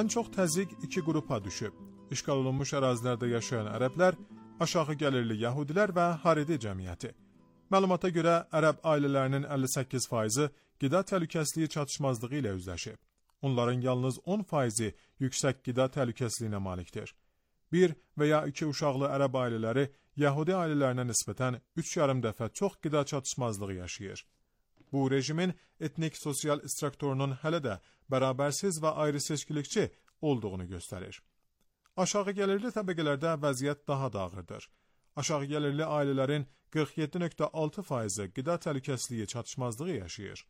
[SPEAKER 6] Ən çox təzyiq iki qrupa düşüb. İşğal olunmuş ərazilərdə yaşayan ərəblər, aşağı gəlirli yəhudilər və Haredi cəmiyyəti. Məlumata görə ərəb ailələrinin 58%-i qida təhlükəsizliyi çatışmazlığı ilə üzləşib. Onların yalnız 10%-i yüksək qida təhlükəsizliyinə malikdir. 1 və ya 2 uşaqlı ərəb ailələri yəhudi ailələrinə nisbətən 3,5 dəfə çox qida çatışmazlığı yaşayır. Bu rejimin etnik sosial strukturunun hələ də bərabərsiz və ayrı-seçkilikçi olduğunu göstərir. Aşağı gəlirli təbəqələrdə vəziyyət daha da ağırdır. Aşağı gəlirli ailələrin 47.6%-i qida təhlükəsizliyi çatışmazlığı yaşayır.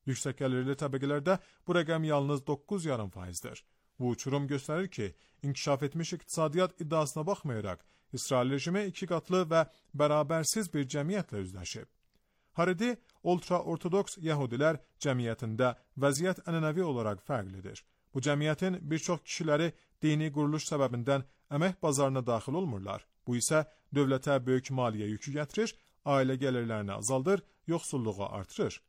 [SPEAKER 6] Yüksək gəlirli təbəqələrdə bu rəqəm yalnız 9,5%-dir. Bu uçurum göstərir ki, inkişaf etmiş iqtisadiyyat iddiasına baxmayaraq, İsrail rejimi iki qatlı və bərabərsiz bir cəmiyyətlə üzləşib. Haredi, ultra-ortodoks yəhudilər cəmiyyətində vəziyyət ənənəvi olaraq fərqlidir. Bu cəmiyyətin bir çox kişiləri dini quruluş səbəbindən əmək bazarına daxil olmurlar. Bu isə dövlətə böyük maliyyə yükü gətirir, ailə gəlirlərini azaldır, yoxsulluğu artırır.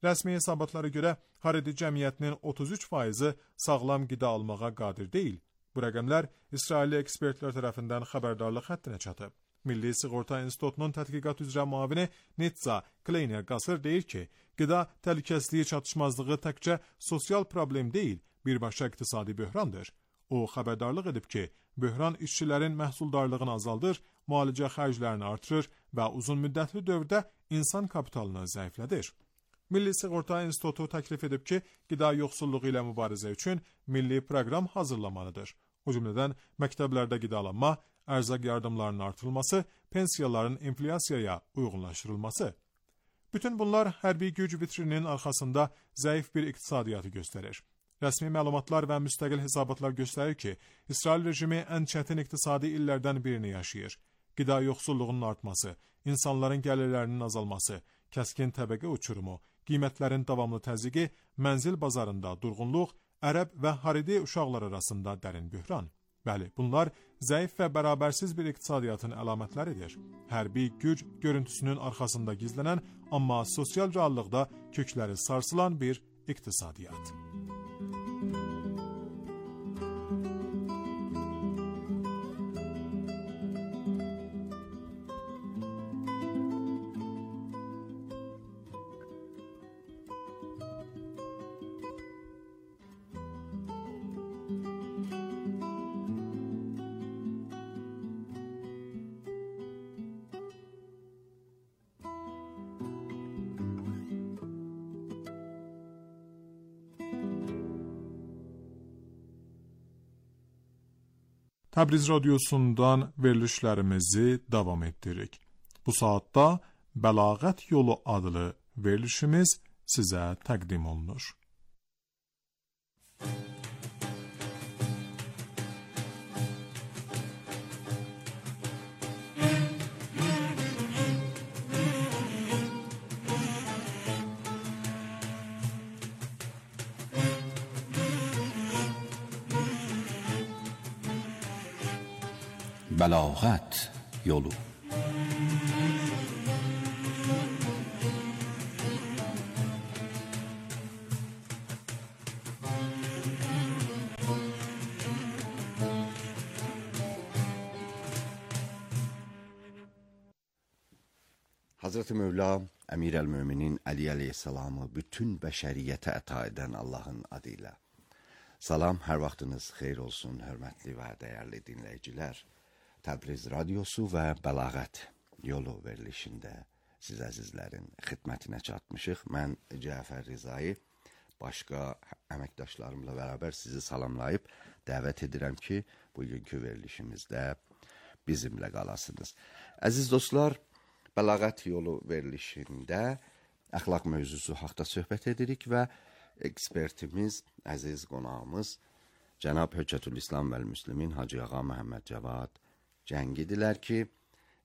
[SPEAKER 6] Rəsmi hesabatlara görə Haredi cəmiyyətinin 33%-i sağlam qida almağa qadir deyil. Bu rəqəmlər İsrailli ekspertlər tərəfindən xəbərdarlıq həddinə çatıb. Milli Sığorta İnstitutunun tədqiqat üzrə müavini Nitza Kleiner-Gasser deyir ki, qida təhlükəsizliyi çatışmazlığı təkcə sosial problem deyil, birbaşa iqtisadi böhrandır. O, xəbərdarlıq edib ki, böhran işçilərin məhsuldarlığını azaldır, müalicə xərclərini artırır və uzun müddətli dövrdə insan kapitalını zəiflədir. Milli Sığorta İnstitutu təklif edib ki, qida yoxsulluğu ilə mübarizə üçün milli proqram hazırlamalıdır. O cümlədən məktəblərdə qidalanma, ərzaq yardımlarının artırılması, pensiyaların inflyasiyaya uyğunlaşdırılması. Bütün bunlar hərbi güc vitrininin arxasında zəif bir iqtisadiyyatı göstərir. Rəsmi məlumatlar və müstəqil hesabatlar göstərir ki, İsrail rejimi ən çətin iqtisadi illərdən birini yaşayır. Qida yoxsulluğunun artması, insanların gəlirlərinin azalması, kəskin təbəqə uçurumu, qiymətlərin davamlı təzyiqi, mənzil bazarında durğunluq, ərəb və Haredi uşaqlar arasında dərin böhran. Bəli, bunlar zəif və bərabərsiz bir iqtisadiyyatın əlamətləridir. Hərbi güc görüntüsünün arxasında gizlənən, amma sosial reallıqda kökləri sarsılan bir iqtisadiyyat. Təbriz radiosundan verilişlərimizi davam etdiririk. Bu saatda Bəlağət yolu adlı verilişimiz sizə təqdim olunur.
[SPEAKER 7] بلاغت یولو Hazreti Mevla Emir el-Müminin Ali aleyhisselamı bütün bəşəriyyətə əta edən Allahın adıyla. Salam, hər vaxtınız xeyir olsun, hörmətli və dəyərli dinləyicilər. Təbriz Radiosu və Bəlağət yolu verilişində siz əzizlərin xidmətinə çatmışıq. Mən Cəfər Rizai, başqa əməkdaşlarımla bərabər sizi salamlayıb dəvət edirəm ki, bugünkü verilişimizdə bizimlə qalasınız. Əziz dostlar, Bəlağət yolu verilişində əxlaq mövzusu haqda söhbət edirik və ekspertimiz, əziz qonağımız Cənab Höccətülislam vəl-Müslimin Hacı Ağa Məhəmməd Cavad Cəngidilər ki,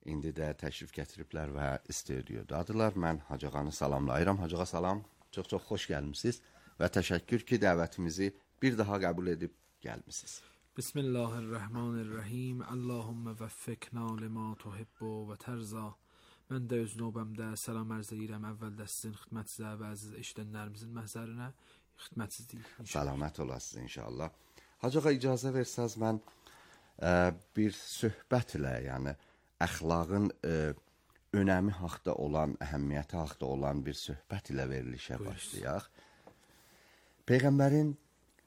[SPEAKER 7] indi də təşrif gətiriblər və studiyodadırlar. Mən Hacı Ağanı salamlayıram. Hacı Ağa salam, çox xoş gəlmişsiniz və təşəkkür ki, dəvətimizi bir daha qəbul edib gəlmişsiniz.
[SPEAKER 8] Bismillahirrahmanirrahim. Allahümme vəffiqna lima tuhibbu və tərza. Mən də öz növbəmdə salam ərz edirəm əvvəldə sizin xidmətinizə və əziz eşidənlərimizin məhzərinə xidmətsizlik.
[SPEAKER 7] Salamət olasınız inşallah. Hacı Ağa icazə versəz mən bir söhbətlə, yəni əxlaqın önəmi haqda olan, əhəmiyyəti haqda olan bir söhbət ilə verilişə başlayaq. Peyğəmbərin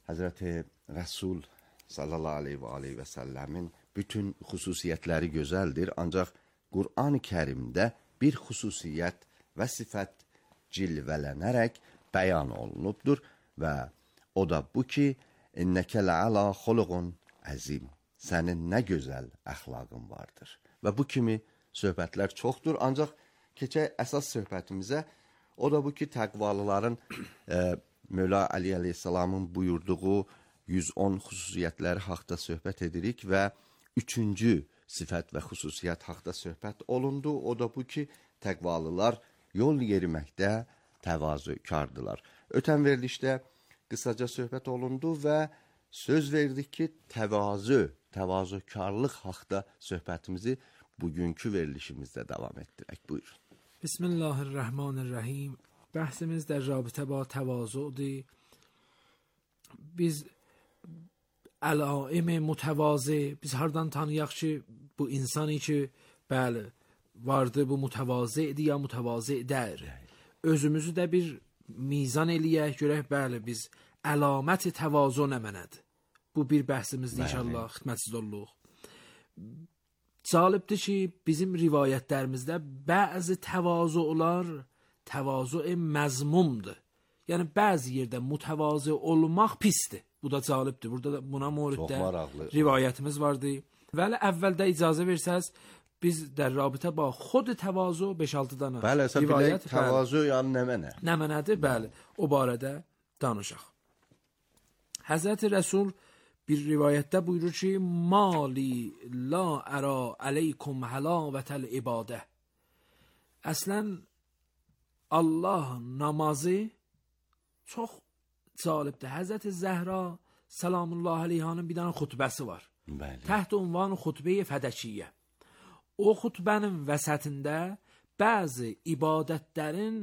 [SPEAKER 7] Həzrəti Rəsul sallallahu aleyhi və səlləmin bütün xüsusiyyətləri gözəldir, ancaq Qur'an-ı Kərimdə bir xüsusiyyət və sifət cilvələnərək bəyan olunubdur və o da bu ki, İnnəkə lə'alə xuluqun əzim, sənin nə gözəl əxlaqın vardır. Və bu kimi söhbətlər çoxdur, ancaq keçək əsas söhbətimizə, o da bu ki, təqvalıların Mövla Ali aleyhisselamın buyurduğu 110 xüsusiyyətləri haqda söhbət edirik və üçüncü sifət və xüsusiyyət haqda söhbət olundu. O da bu ki, təqvalılar yol yeriməkdə təvazökardılar. Ötən verilişdə qısaca söhbət olundu və söz verdik ki, təvazökarlıq haqda söhbətimizi bugünkü verilişimizdə davam etdirək. Buyurun.
[SPEAKER 8] Bismillahirrahmanirrahim. Bəhsimiz də rabitə ba təvazudur. Biz əlaim mütəvazi, biz hardan tanıyaq ki, bu insani ki, bəli, vardı, bu mütəvazidir ya mütəvazidər. Özümüzü də bir mizan eləyək, görək, bəli, biz əlaməti təvazu nə mənədir. Bu bir bəhsimizdir, inşallah, xidmətsiz olluq. Cəlibdir ki, bizim rivayətlərimizdə bəzi təvazular, təvazu məzmumdur. Yəni, bəzi yerdə mütəvazi olmaq pisdir. Bu da cəlibdir. Burada da buna moriddə rivayətimiz vardı. Vəli əvvəldə icazə versəz, biz də rabitə bax, xod təvazu 5-6 dana.
[SPEAKER 7] Bəli, əsəb bilək, təvazu yəni nə mənə?
[SPEAKER 8] Nə mənədir? Bəli, o barədə danışaq. Həzrəti Rəsul bir rivayətdə buyurur ki, Mali la ərə əleykum həlavətəl ibadə. Əslən, Allah namazı çox cəlibdir. Həzrəti Zəhra salamullah aleyhanın bir dənə xutbəsi var. Təht ünvanı xutbə-i fədəkiyyə. O xutbənin vəsətində bəzi ibadətlərin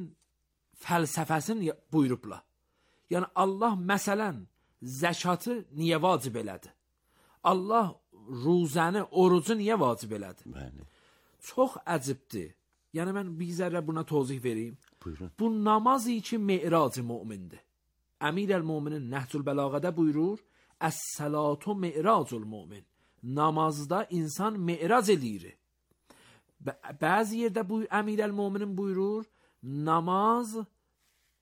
[SPEAKER 8] fəlsəfəsini buyurublar. Yəni Allah məsələn zəkatı niyə vacib elədi? Allah ruzəni, orucu niyə vacib elədi? Çox əcibdir. Yəni mən bir zərrə buna tozih vereyim.
[SPEAKER 7] Buyurun.
[SPEAKER 8] Bu namaz için mi'rac-ı mümindir. Əmir el-Müminin Nəhcül Bəlağədə buyurur, Əs-səlatu mi'racul mümin. Namazda insan mi'rac eləyir. Bəzi yerdə bu Əmir el-Müminin buyurur, namaz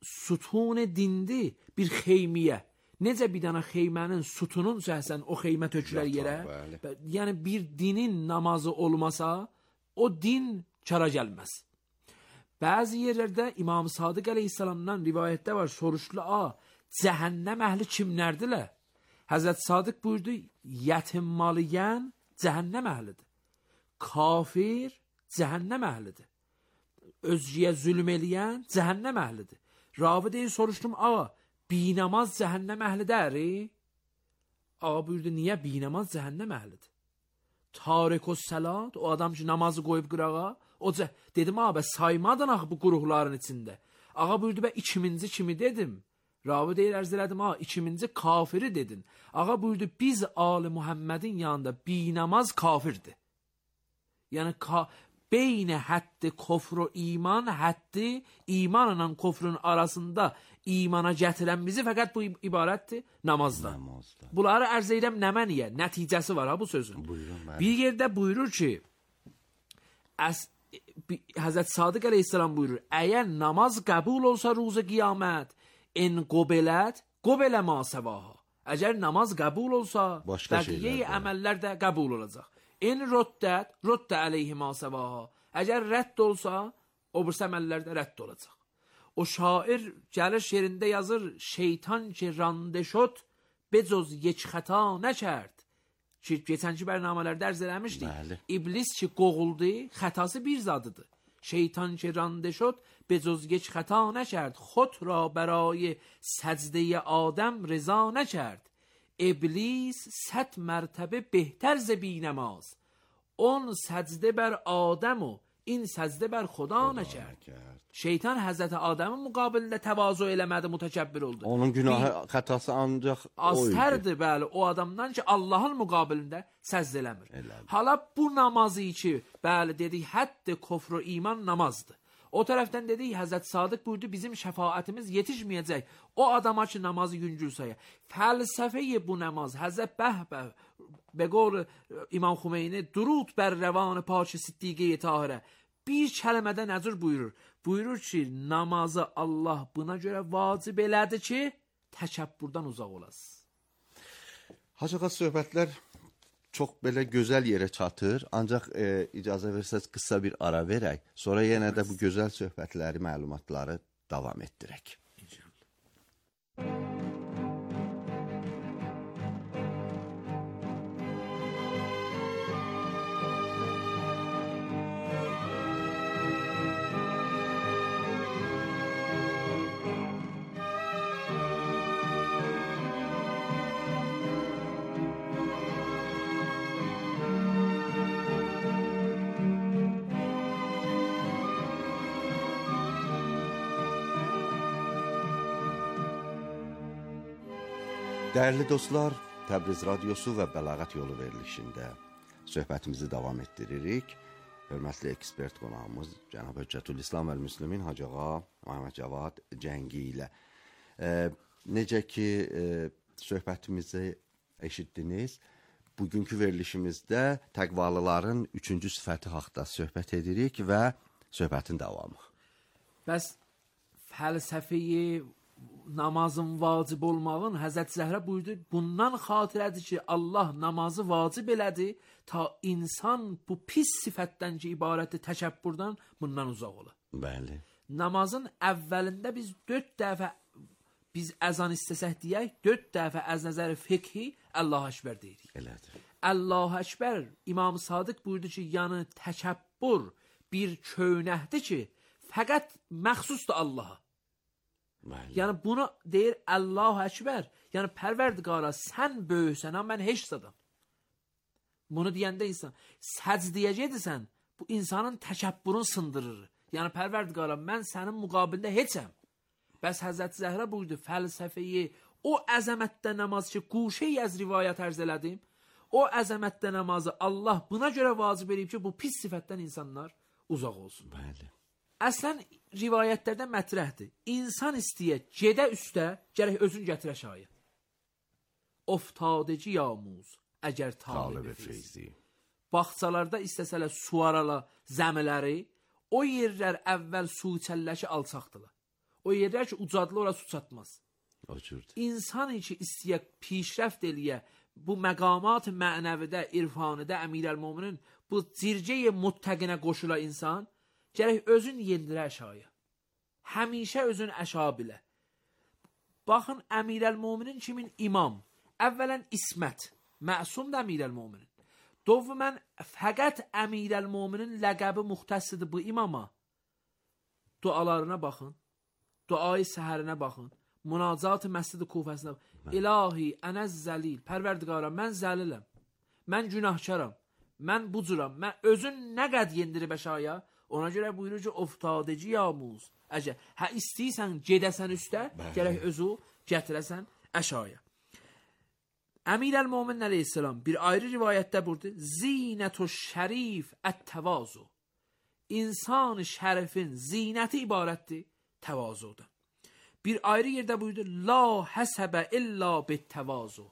[SPEAKER 8] sütun dindi bir xeymiyə. Necə bir dənə xeymənin sütunun səhsən o xeymə tökülər yerə. Yəni bir dinin namazı olmasa, o din kara gəlməz. Bəzi yerlərdə İmam Sadiq əleyhissalamdan rivayətdə var, soruşdular, cəhənnəm əhli kimlərdirlər? Həzrət Sadiq buyurdu, yetim malı yeyən cəhənnəm əhlidir. Kafir cəhənnəm əhlidir. Özgəyə zülm eləyən cəhənnəm əhlidir. Ravi deyil soruşdum, ağa, binamaz cəhənnəm əhlidir? Ağa buyurdu, niyə binamaz cəhənnəm əhlidir? Tarik-us salat, o adam ki namazı qoyub qırağa, dedim, ağa, saymadın axı bu quruqların içində. Ağa buyurdu, ikiminci kimi dedim. Ravi deyir, ərz elədim, ikiminci kafiri dedin. Ağa buyurdu, biz Ali Muhammedin yanında binamaz kafirdir. Yəni, beyn hədd kufr və iman, həddi imanla kufrun arasında imana gətirən bizi fəqət bu ibarətdir namazdan. Bunları ərz edirəm nəməniyə? Nəticəsi var ha bu sözün.
[SPEAKER 7] Buyurun,
[SPEAKER 8] bir yerdə buyurur ki, Hazreti Sadık Aleyhisselam buyurur, əgər namaz qəbul olsa ruzu qiyamət, en qobelə ma səvaha. Əgər namaz qəbul olsa, bəqiyə əməllər də qəbul olacaq. En röddət əleyhi ma səvaha. Əgər rədd olsa, o birisi əməllər də rədd olacaq. O şair gəlir şeirində yazır, şeytan ki rande şod, becoz یک xəta nəkərd. Ki, geçənki bərnamələrdə ərz eləmişdik. İblis ki qoğuldu, xətası bir zadıdır. Şeytan ki rande şod, becoz یک خطا نکرد. خود را برای سجده آدم رضا نکرد. ابلیس 100 مرتبه بهتر ز بی‌نماز. اون سجده بر آدم و این سجده بر خدا نکرد. Şeytan Həzrəti Adəmin müqabilində təvazu eləmədi, mütəkəbbir oldu.
[SPEAKER 7] Onun günahı, xətası ancaq o idi.
[SPEAKER 8] Aztərdir, bəli, o adamdan ki, Allahın müqabilində səzd eləmir. Hala bu namazı ki, bəli, dedik, hədd kufr və iman namazdır. O tərəfdən dedik, Həzrət Sadıq buyurdu, bizim şəfaətimiz yetişməyəcək. O adama ki, namazı yüngül sayır. Fəlsəfəyi bu namaz, Həzrət Bəhbəh, be qol İmam Xümeyni, durud bər rəvan pak Siddiqə-i Tahirə, bir kəlmədə nəzir buyurur. Buyurur ki, namazı Allah buna görə vacib elədi ki, təkəbbürdən uzaq olasın.
[SPEAKER 7] Hacı ağa, söhbətlər çox belə gözəl yerə çatır. Ancaq icazə versəz qısa bir ara verək. Sonra yenə də bu gözəl söhbətləri, məlumatları davam etdirək. Dəyərli dostlar, Təbriz Radiosu və Bəlağət Yolu verilişində söhbətimizi davam etdiririk. Hörmətli ekspert qonağımız Cənab Hüccətülislam Əl-Müslimin Hacı ağa Məhəmməd Cavad Cəngi ilə. Necə ki, söhbətimizi eşitdiniz, bugünkü verilişimizdə təqvalıların 3-cü sifəti haqda söhbət edirik və söhbətin davamı.
[SPEAKER 8] Bəs fəlsəfəyi namazın vacib olmağın Həzrət Zəhrə buyurdu, bundan xatirədir ki, Allah namazı vacib elədi, ta insan bu pis sifətdən ki, ibarətdir təkəbbürdən, bundan uzaq ola.
[SPEAKER 7] Bəli.
[SPEAKER 8] Namazın əvvəlində biz 4 dəfə, biz əzan istəsək deyək, 4 dəfə əz nəzər fiqhi Allah-u Əkbər deyirik.
[SPEAKER 7] Elədir.
[SPEAKER 8] Allah-u Əkbər, İmam Sadıq buyurdu ki, yəni təkəbbür bir köynəkdir ki, fəqət məxsusdur Allaha. Yəni bunu deyir Allah-u Əkbər, yəni Pərverdigara sən böyüksən, mən heç zadım. Bunu deyəndə insan səcdiyə gedirsən, bu insanın təkəbbürünü sındırır. Yəni Pərverdigara mən sənin müqabilində heçəm. Bəs Həzrət Zəhrə buyurdu, fəlsəfəyi, o əzəmətdə namaz ki, quşeyi az rivayət ərz elədim, o əzəmətdə namazı Allah buna görə vacib edib ki, bu pis sifətdən insanlar uzaq olsun.
[SPEAKER 7] Bəli.
[SPEAKER 8] Əslən rivayətlərdə mətrəhdir. İnsan istəyə gedə üstə, gərək özün gətirə şayə. Oftadeci yamuz, əgər talib feyzi. Baxçalarda istəsələ suarala zəmiləri, o yerlər əvvəl su içəlləşi alçaqdılar. O yerlər ki, ucadlı ora su çatmaz.
[SPEAKER 7] O cürdür.
[SPEAKER 8] İnsan ki, istəyə pişrəft eləyə, bu məqamat mənəvidə, irfanıda, əmirəl-müminin, bu circəyə muttəqinə qoşula insan, gərək özün yendirə əşaya. Həmişə özün əşa bilə. Baxın, əmirəl-müminin kimin? İmam. Əvvələn ismət. Məsum da əmirəl-müminin. Dovmən, fəqət əmirəl-müminin ləqəbi muxtəssidir bu imama. Dualarına baxın. Duayı səhərinə baxın. Münacat-ı məscid-i Kufəsinə baxın. İlahi, ənəz zəlil. Pərverdigara, mən zəliləm. Mən günahkaram. Mən bu cüram. Mən özün nə qəd yendirib əşaya? Ona görə buyurur ki, oftadeci yamuz. Əgər hə istəyirsən gedəsən üstə, gərək özü gətirəsən əşaya. Əmirəl-Mömin əleyhissalam bir ayrı rivayətdə buyurdu, Zinətü şərif ət-təvazu. insan şərifin zinəti ibarətdir təvazudan. Bir ayrı yerdə buyurdu, la həsəbə illa bit təvazu.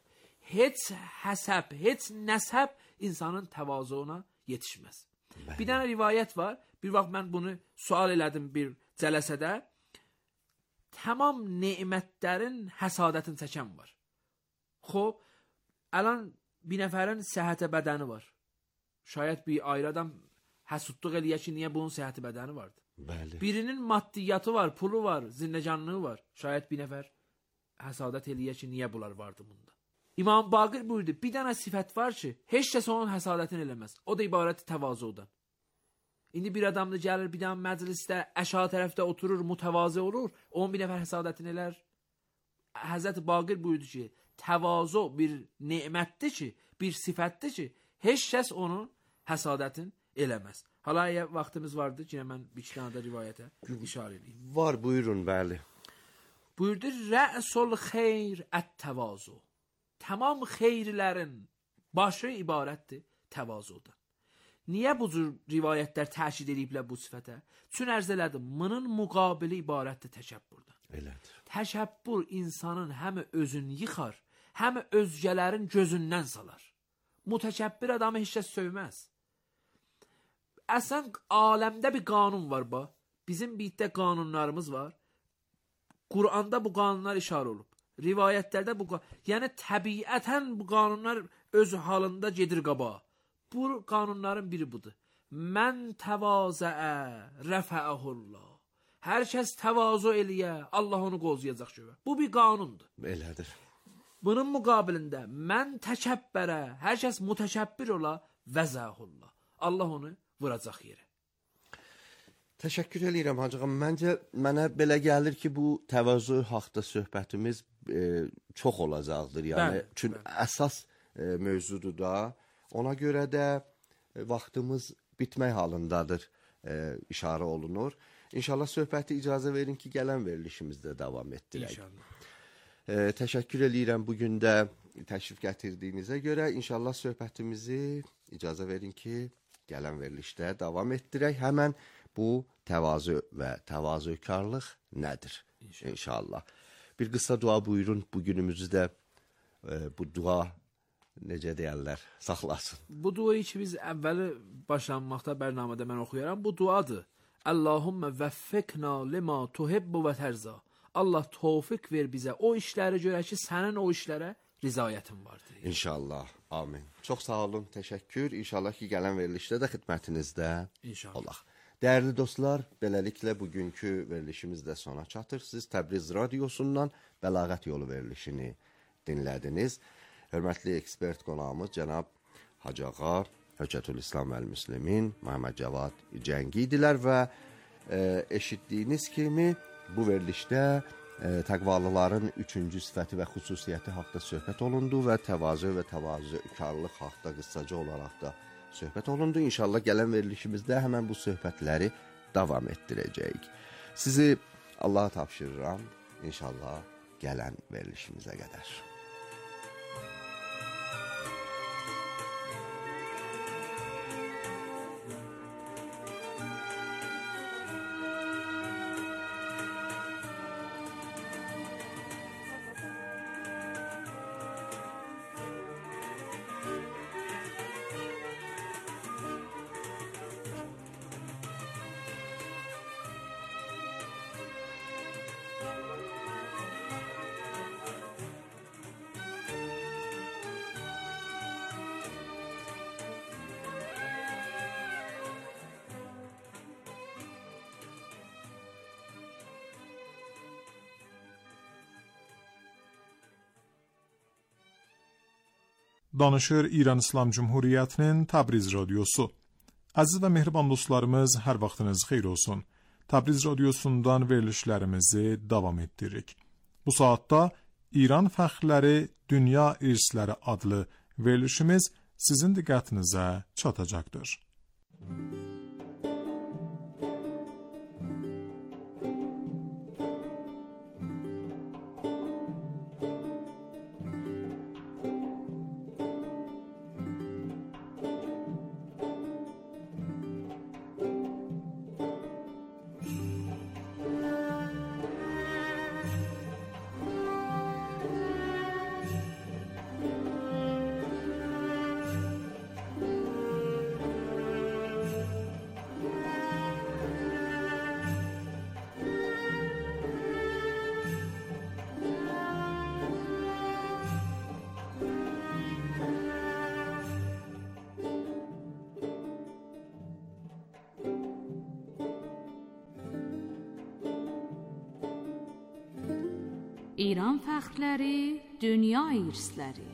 [SPEAKER 8] Heç həsəb, heç nəsəb insanın təvazuuna yetişməz. Bir dənə rivayət var. Bir vaxt mən bunu sual elədim bir cələsədə. Tamam nemətlərin həsadətini çəkən var. Xob, əlan bir nəfərin səhhətə bədəni var. Şayət bir ayrı adam həsudluq eləyə ki, niyə bunun səhhəti bədəni vardır?
[SPEAKER 7] Bəli.
[SPEAKER 8] Birinin maddiyyatı var, pulu var, zindəcanlığı var. Şayət bir nəfər həsadət eləyə ki, niyə bunlar vardı bunda? İmam Baqir buyurdu, bir dənə sifət var ki, heç kəs onun həsadətini eləməz. O da ibarəti təvazudan. İndi bir adam da gəlir, bir dənə məclisdə, əşağı tərəfdə oturur, mütəvazı olur, onun bir nəfər həsadətini eləər. Həzrət Baqir buyurdu ki, təvazu bir nemətdir ki, bir sifətdir ki, heç kəs onun həsadətin eləməz. Hala vaxtımız vardı ki, mən bir iki dənə də rivayətə işarə edeyim.
[SPEAKER 7] Var, buyurun, bəli.
[SPEAKER 8] Buyurdu, rə'sul xeyr ət-təvazu. Tamam xeyirlərin başı ibarətdir təvazudan. Niyə bu cür rivayətlər təkid ediblər bu sifətə? Çün ərz elədim, bunun müqabili ibarətdir təkəbbürdən.
[SPEAKER 7] Elədir.
[SPEAKER 8] Təkəbbür insanın həm özünü yıxar, həm özgələrin gözündən salar. Mütəkəbbir adamı heç kəs sövməz. Əslən, aləmdə bir qanun var, bizim birdə qanunlarımız var. Qur'anda bu qanunlar işarə olub. Rivayətlərdə bu qanunlar, yəni təbiətən bu qanunlar öz halında gedir qabağa. Bu qanunların biri budur. Mən təvazəə rəfəəhullah. Hər kəs təvazu eləyə, Allah onu qozuyacaq göyə. Bu bir qanundur.
[SPEAKER 7] Elədir.
[SPEAKER 8] Bunun müqabilində mən təkəbbərə, hər kəs mütəkəbbir ola, vəzəhullah. Allah onu vuracaq yerə.
[SPEAKER 7] Təşəkkür edirəm hacıqam. Məncə mənə belə gəlir ki, bu təvazu haqda söhbətimiz çox olacaqdır. Yəni çünki əsas mövzudur da. Ona görə də vaxtımız bitmək halındadır, işarə olunur. İnşallah söhbəti icazə verin ki, gələn verilişimizdə davam etdirək.
[SPEAKER 8] İnşallah.
[SPEAKER 7] Təşəkkür edirəm bugün də təşrif gətirdiyinizə görə. İnşallah söhbətimizi icazə verin ki, gələn verilişdə davam etdirək. Həmən bu təvazu və təvazökarlıq nədir? İnşallah. Bir qısa dua buyurun, bugünümüzü də bu dua necə deyərlər, saxlasın.
[SPEAKER 8] Bu duayı ki, biz əvvəli başlanmaqda bərnamədə mən oxuyaram, bu duadır. Allahümmə vəffiqna lima tuhibbu və tərza. Allah tövfiq ver bizə o işləri görə ki, sənin o işlərə rizayətin vardır.
[SPEAKER 7] İnşallah, amin. Çox sağ olun, təşəkkür. İnşallah ki, gələn verilişdə də xidmətinizdə olaq. Dəyərli dostlar, beləliklə bugünkü verilişimiz də sona çatır. Siz Təbriz Radiosundan Bəlağət Yolu verilişini dinlədiniz. Hörmətli ekspert qonağımız cənab Hacı Ağa, Höccətülislam Əl-Müslimin, Məhəmməd Cavad Cəngi idilər və eşitdiyiniz kimi bu verilişdə təqvalıların üçüncü sifəti və xüsusiyyəti haqda söhbət olundu və təvazö və təvazökarlıq haqda qısaca olaraq da söhbət olundu. İnşallah gələn verilişimizdə həmən bu söhbətləri davam etdirəcəyik. Sizi Allaha tapşırıram, inşallah gələn verilişimizə qədər.
[SPEAKER 6] Danışır İran İslam Cumhuriyyətinin Təbriz Radiosu. Əziz və mehriban dostlarımız, hər vaxtınız xeyir olsun. Təbriz Radiosundan verilişlərimizi davam etdiririk. Bu saatda İran fəxrləri, Dünya İrsləri adlı verilişimiz sizin diqqətinizə çatacaqdır.
[SPEAKER 9] İran fəxrləri, dünya irsləri.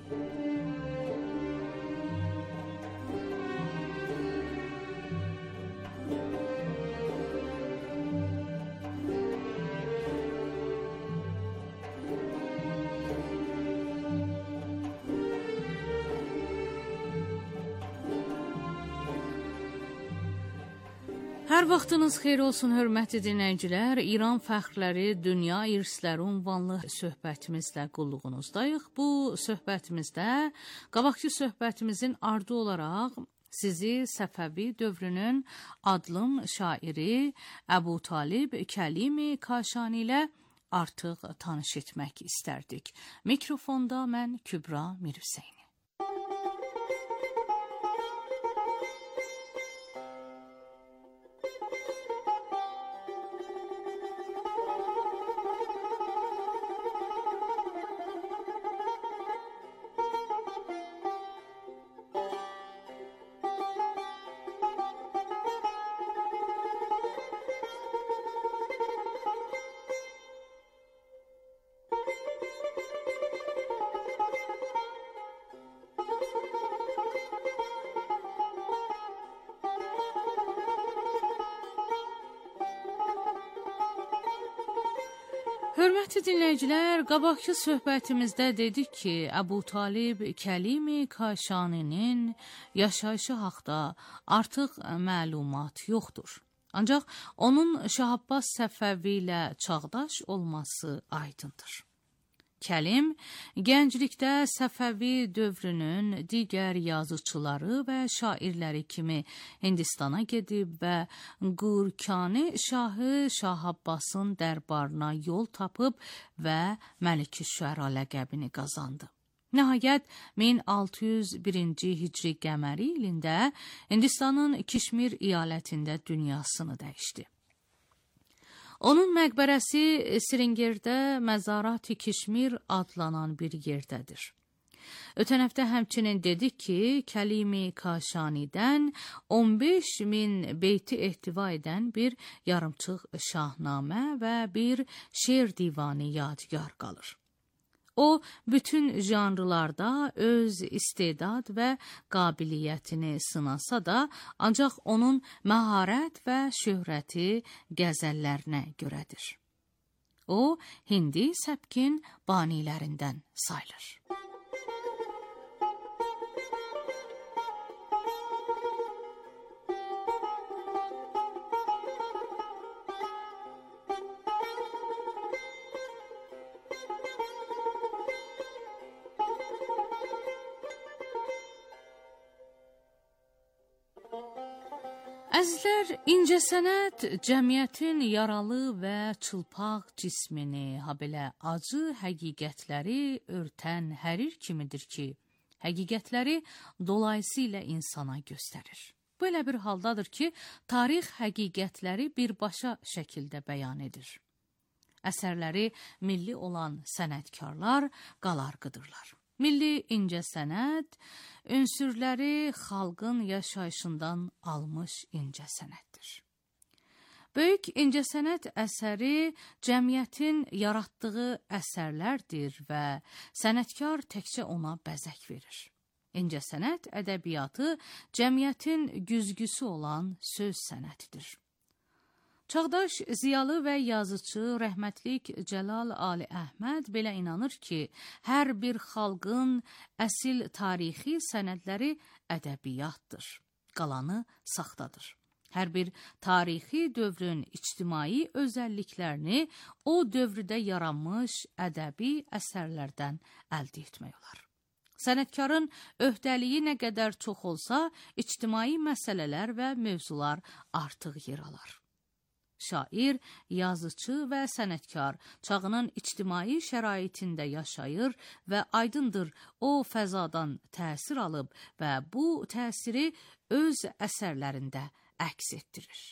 [SPEAKER 9] Hər vaxtınız xeyir olsun, hörmətli dinləyicilər. İran fəxrləri, dünya irsləri ünvanlı söhbətimizlə qulluğunuzdayıq. Bu söhbətimizdə, qabaqki söhbətimizin ardı olaraq sizi Səfəvi dövrünün adlım şairi Əbu Talib Kəlimi Kaşani ilə artıq tanış etmək istərdik. Mikrofonda mən Kübra Mirhüseyni. Hörmətli dinləyicilər, qabaqki söhbətimizdə dedik ki, Əbu Talib Kəlimi Kaşaninin yaşayışı haqda artıq məlumat yoxdur. Ancaq onun Şah Abbas Səfəvi ilə çağdaş olması aydındır. Kəlim, gənclikdə Səfəvi dövrünün digər yazıçıları və şairləri kimi Hindistana gedib və Qurkani şahı Şah Abbasın dərbarına yol tapıb və Məlik-i-Şüəra ləqəbini qazandı. Nəhayət, 1601-ci hicri qəməri ilində Hindistanın Kişmir iyalətində dünyasını dəyişdi. Onun məqbərəsi Sringirdə Məzarat-ı Kişmir adlanan bir yerdədir. Ötən həftə həmçinin dedik ki, Kəlimi Kaşanidən 15.000 beyti ehtiva edən bir yarımçıq şahnamə və bir şeir divanı yadigar qalır. O, bütün janrlarda öz istedad və qabiliyyətini sınasa da, ancaq onun məharət və şöhrəti qəzəllərinə görədir. O, Hindi səbkin banilərindən sayılır. Əzizlər, incəsənət cəmiyyətin yaralı və çılpaq cismini, habelə acı həqiqətləri örtən hərir kimidir ki, həqiqətləri dolayısıyla insana göstərir. Bu elə bir haldadır ki, tarix həqiqətləri birbaşa şəkildə bəyan edir. Əsərləri milli olan sənətkarlar qalarqıdırlar. Milli incəsənət, ünsürləri xalqın yaşayışından almış incəsənətdir. Böyük incəsənət əsəri cəmiyyətin yaratdığı əsərlərdir və sənətkar təkcə ona bəzək verir. İncəsənət ədəbiyyatı cəmiyyətin güzgüsü olan söz sənətidir. Çağdaş ziyalı və yazıcı rəhmətlik Cəlal Ali Əhməd belə inanır ki, hər bir xalqın əsil tarixi sənədləri ədəbiyyatdır, qalanı saxtadır. Hər bir tarixi dövrün ictimai özəlliklərini o dövrdə yaranmış ədəbi əsərlərdən əldə etmək olar. Sənətkarın öhdəliyi nə qədər çox olsa, ictimai məsələlər və mövzular artıq yer alar. Şair, yazıcı və sənətkar çağının ictimai şəraitində yaşayır və aydındır o fəzadan təsir alıb və bu təsiri öz əsərlərində əks etdirir.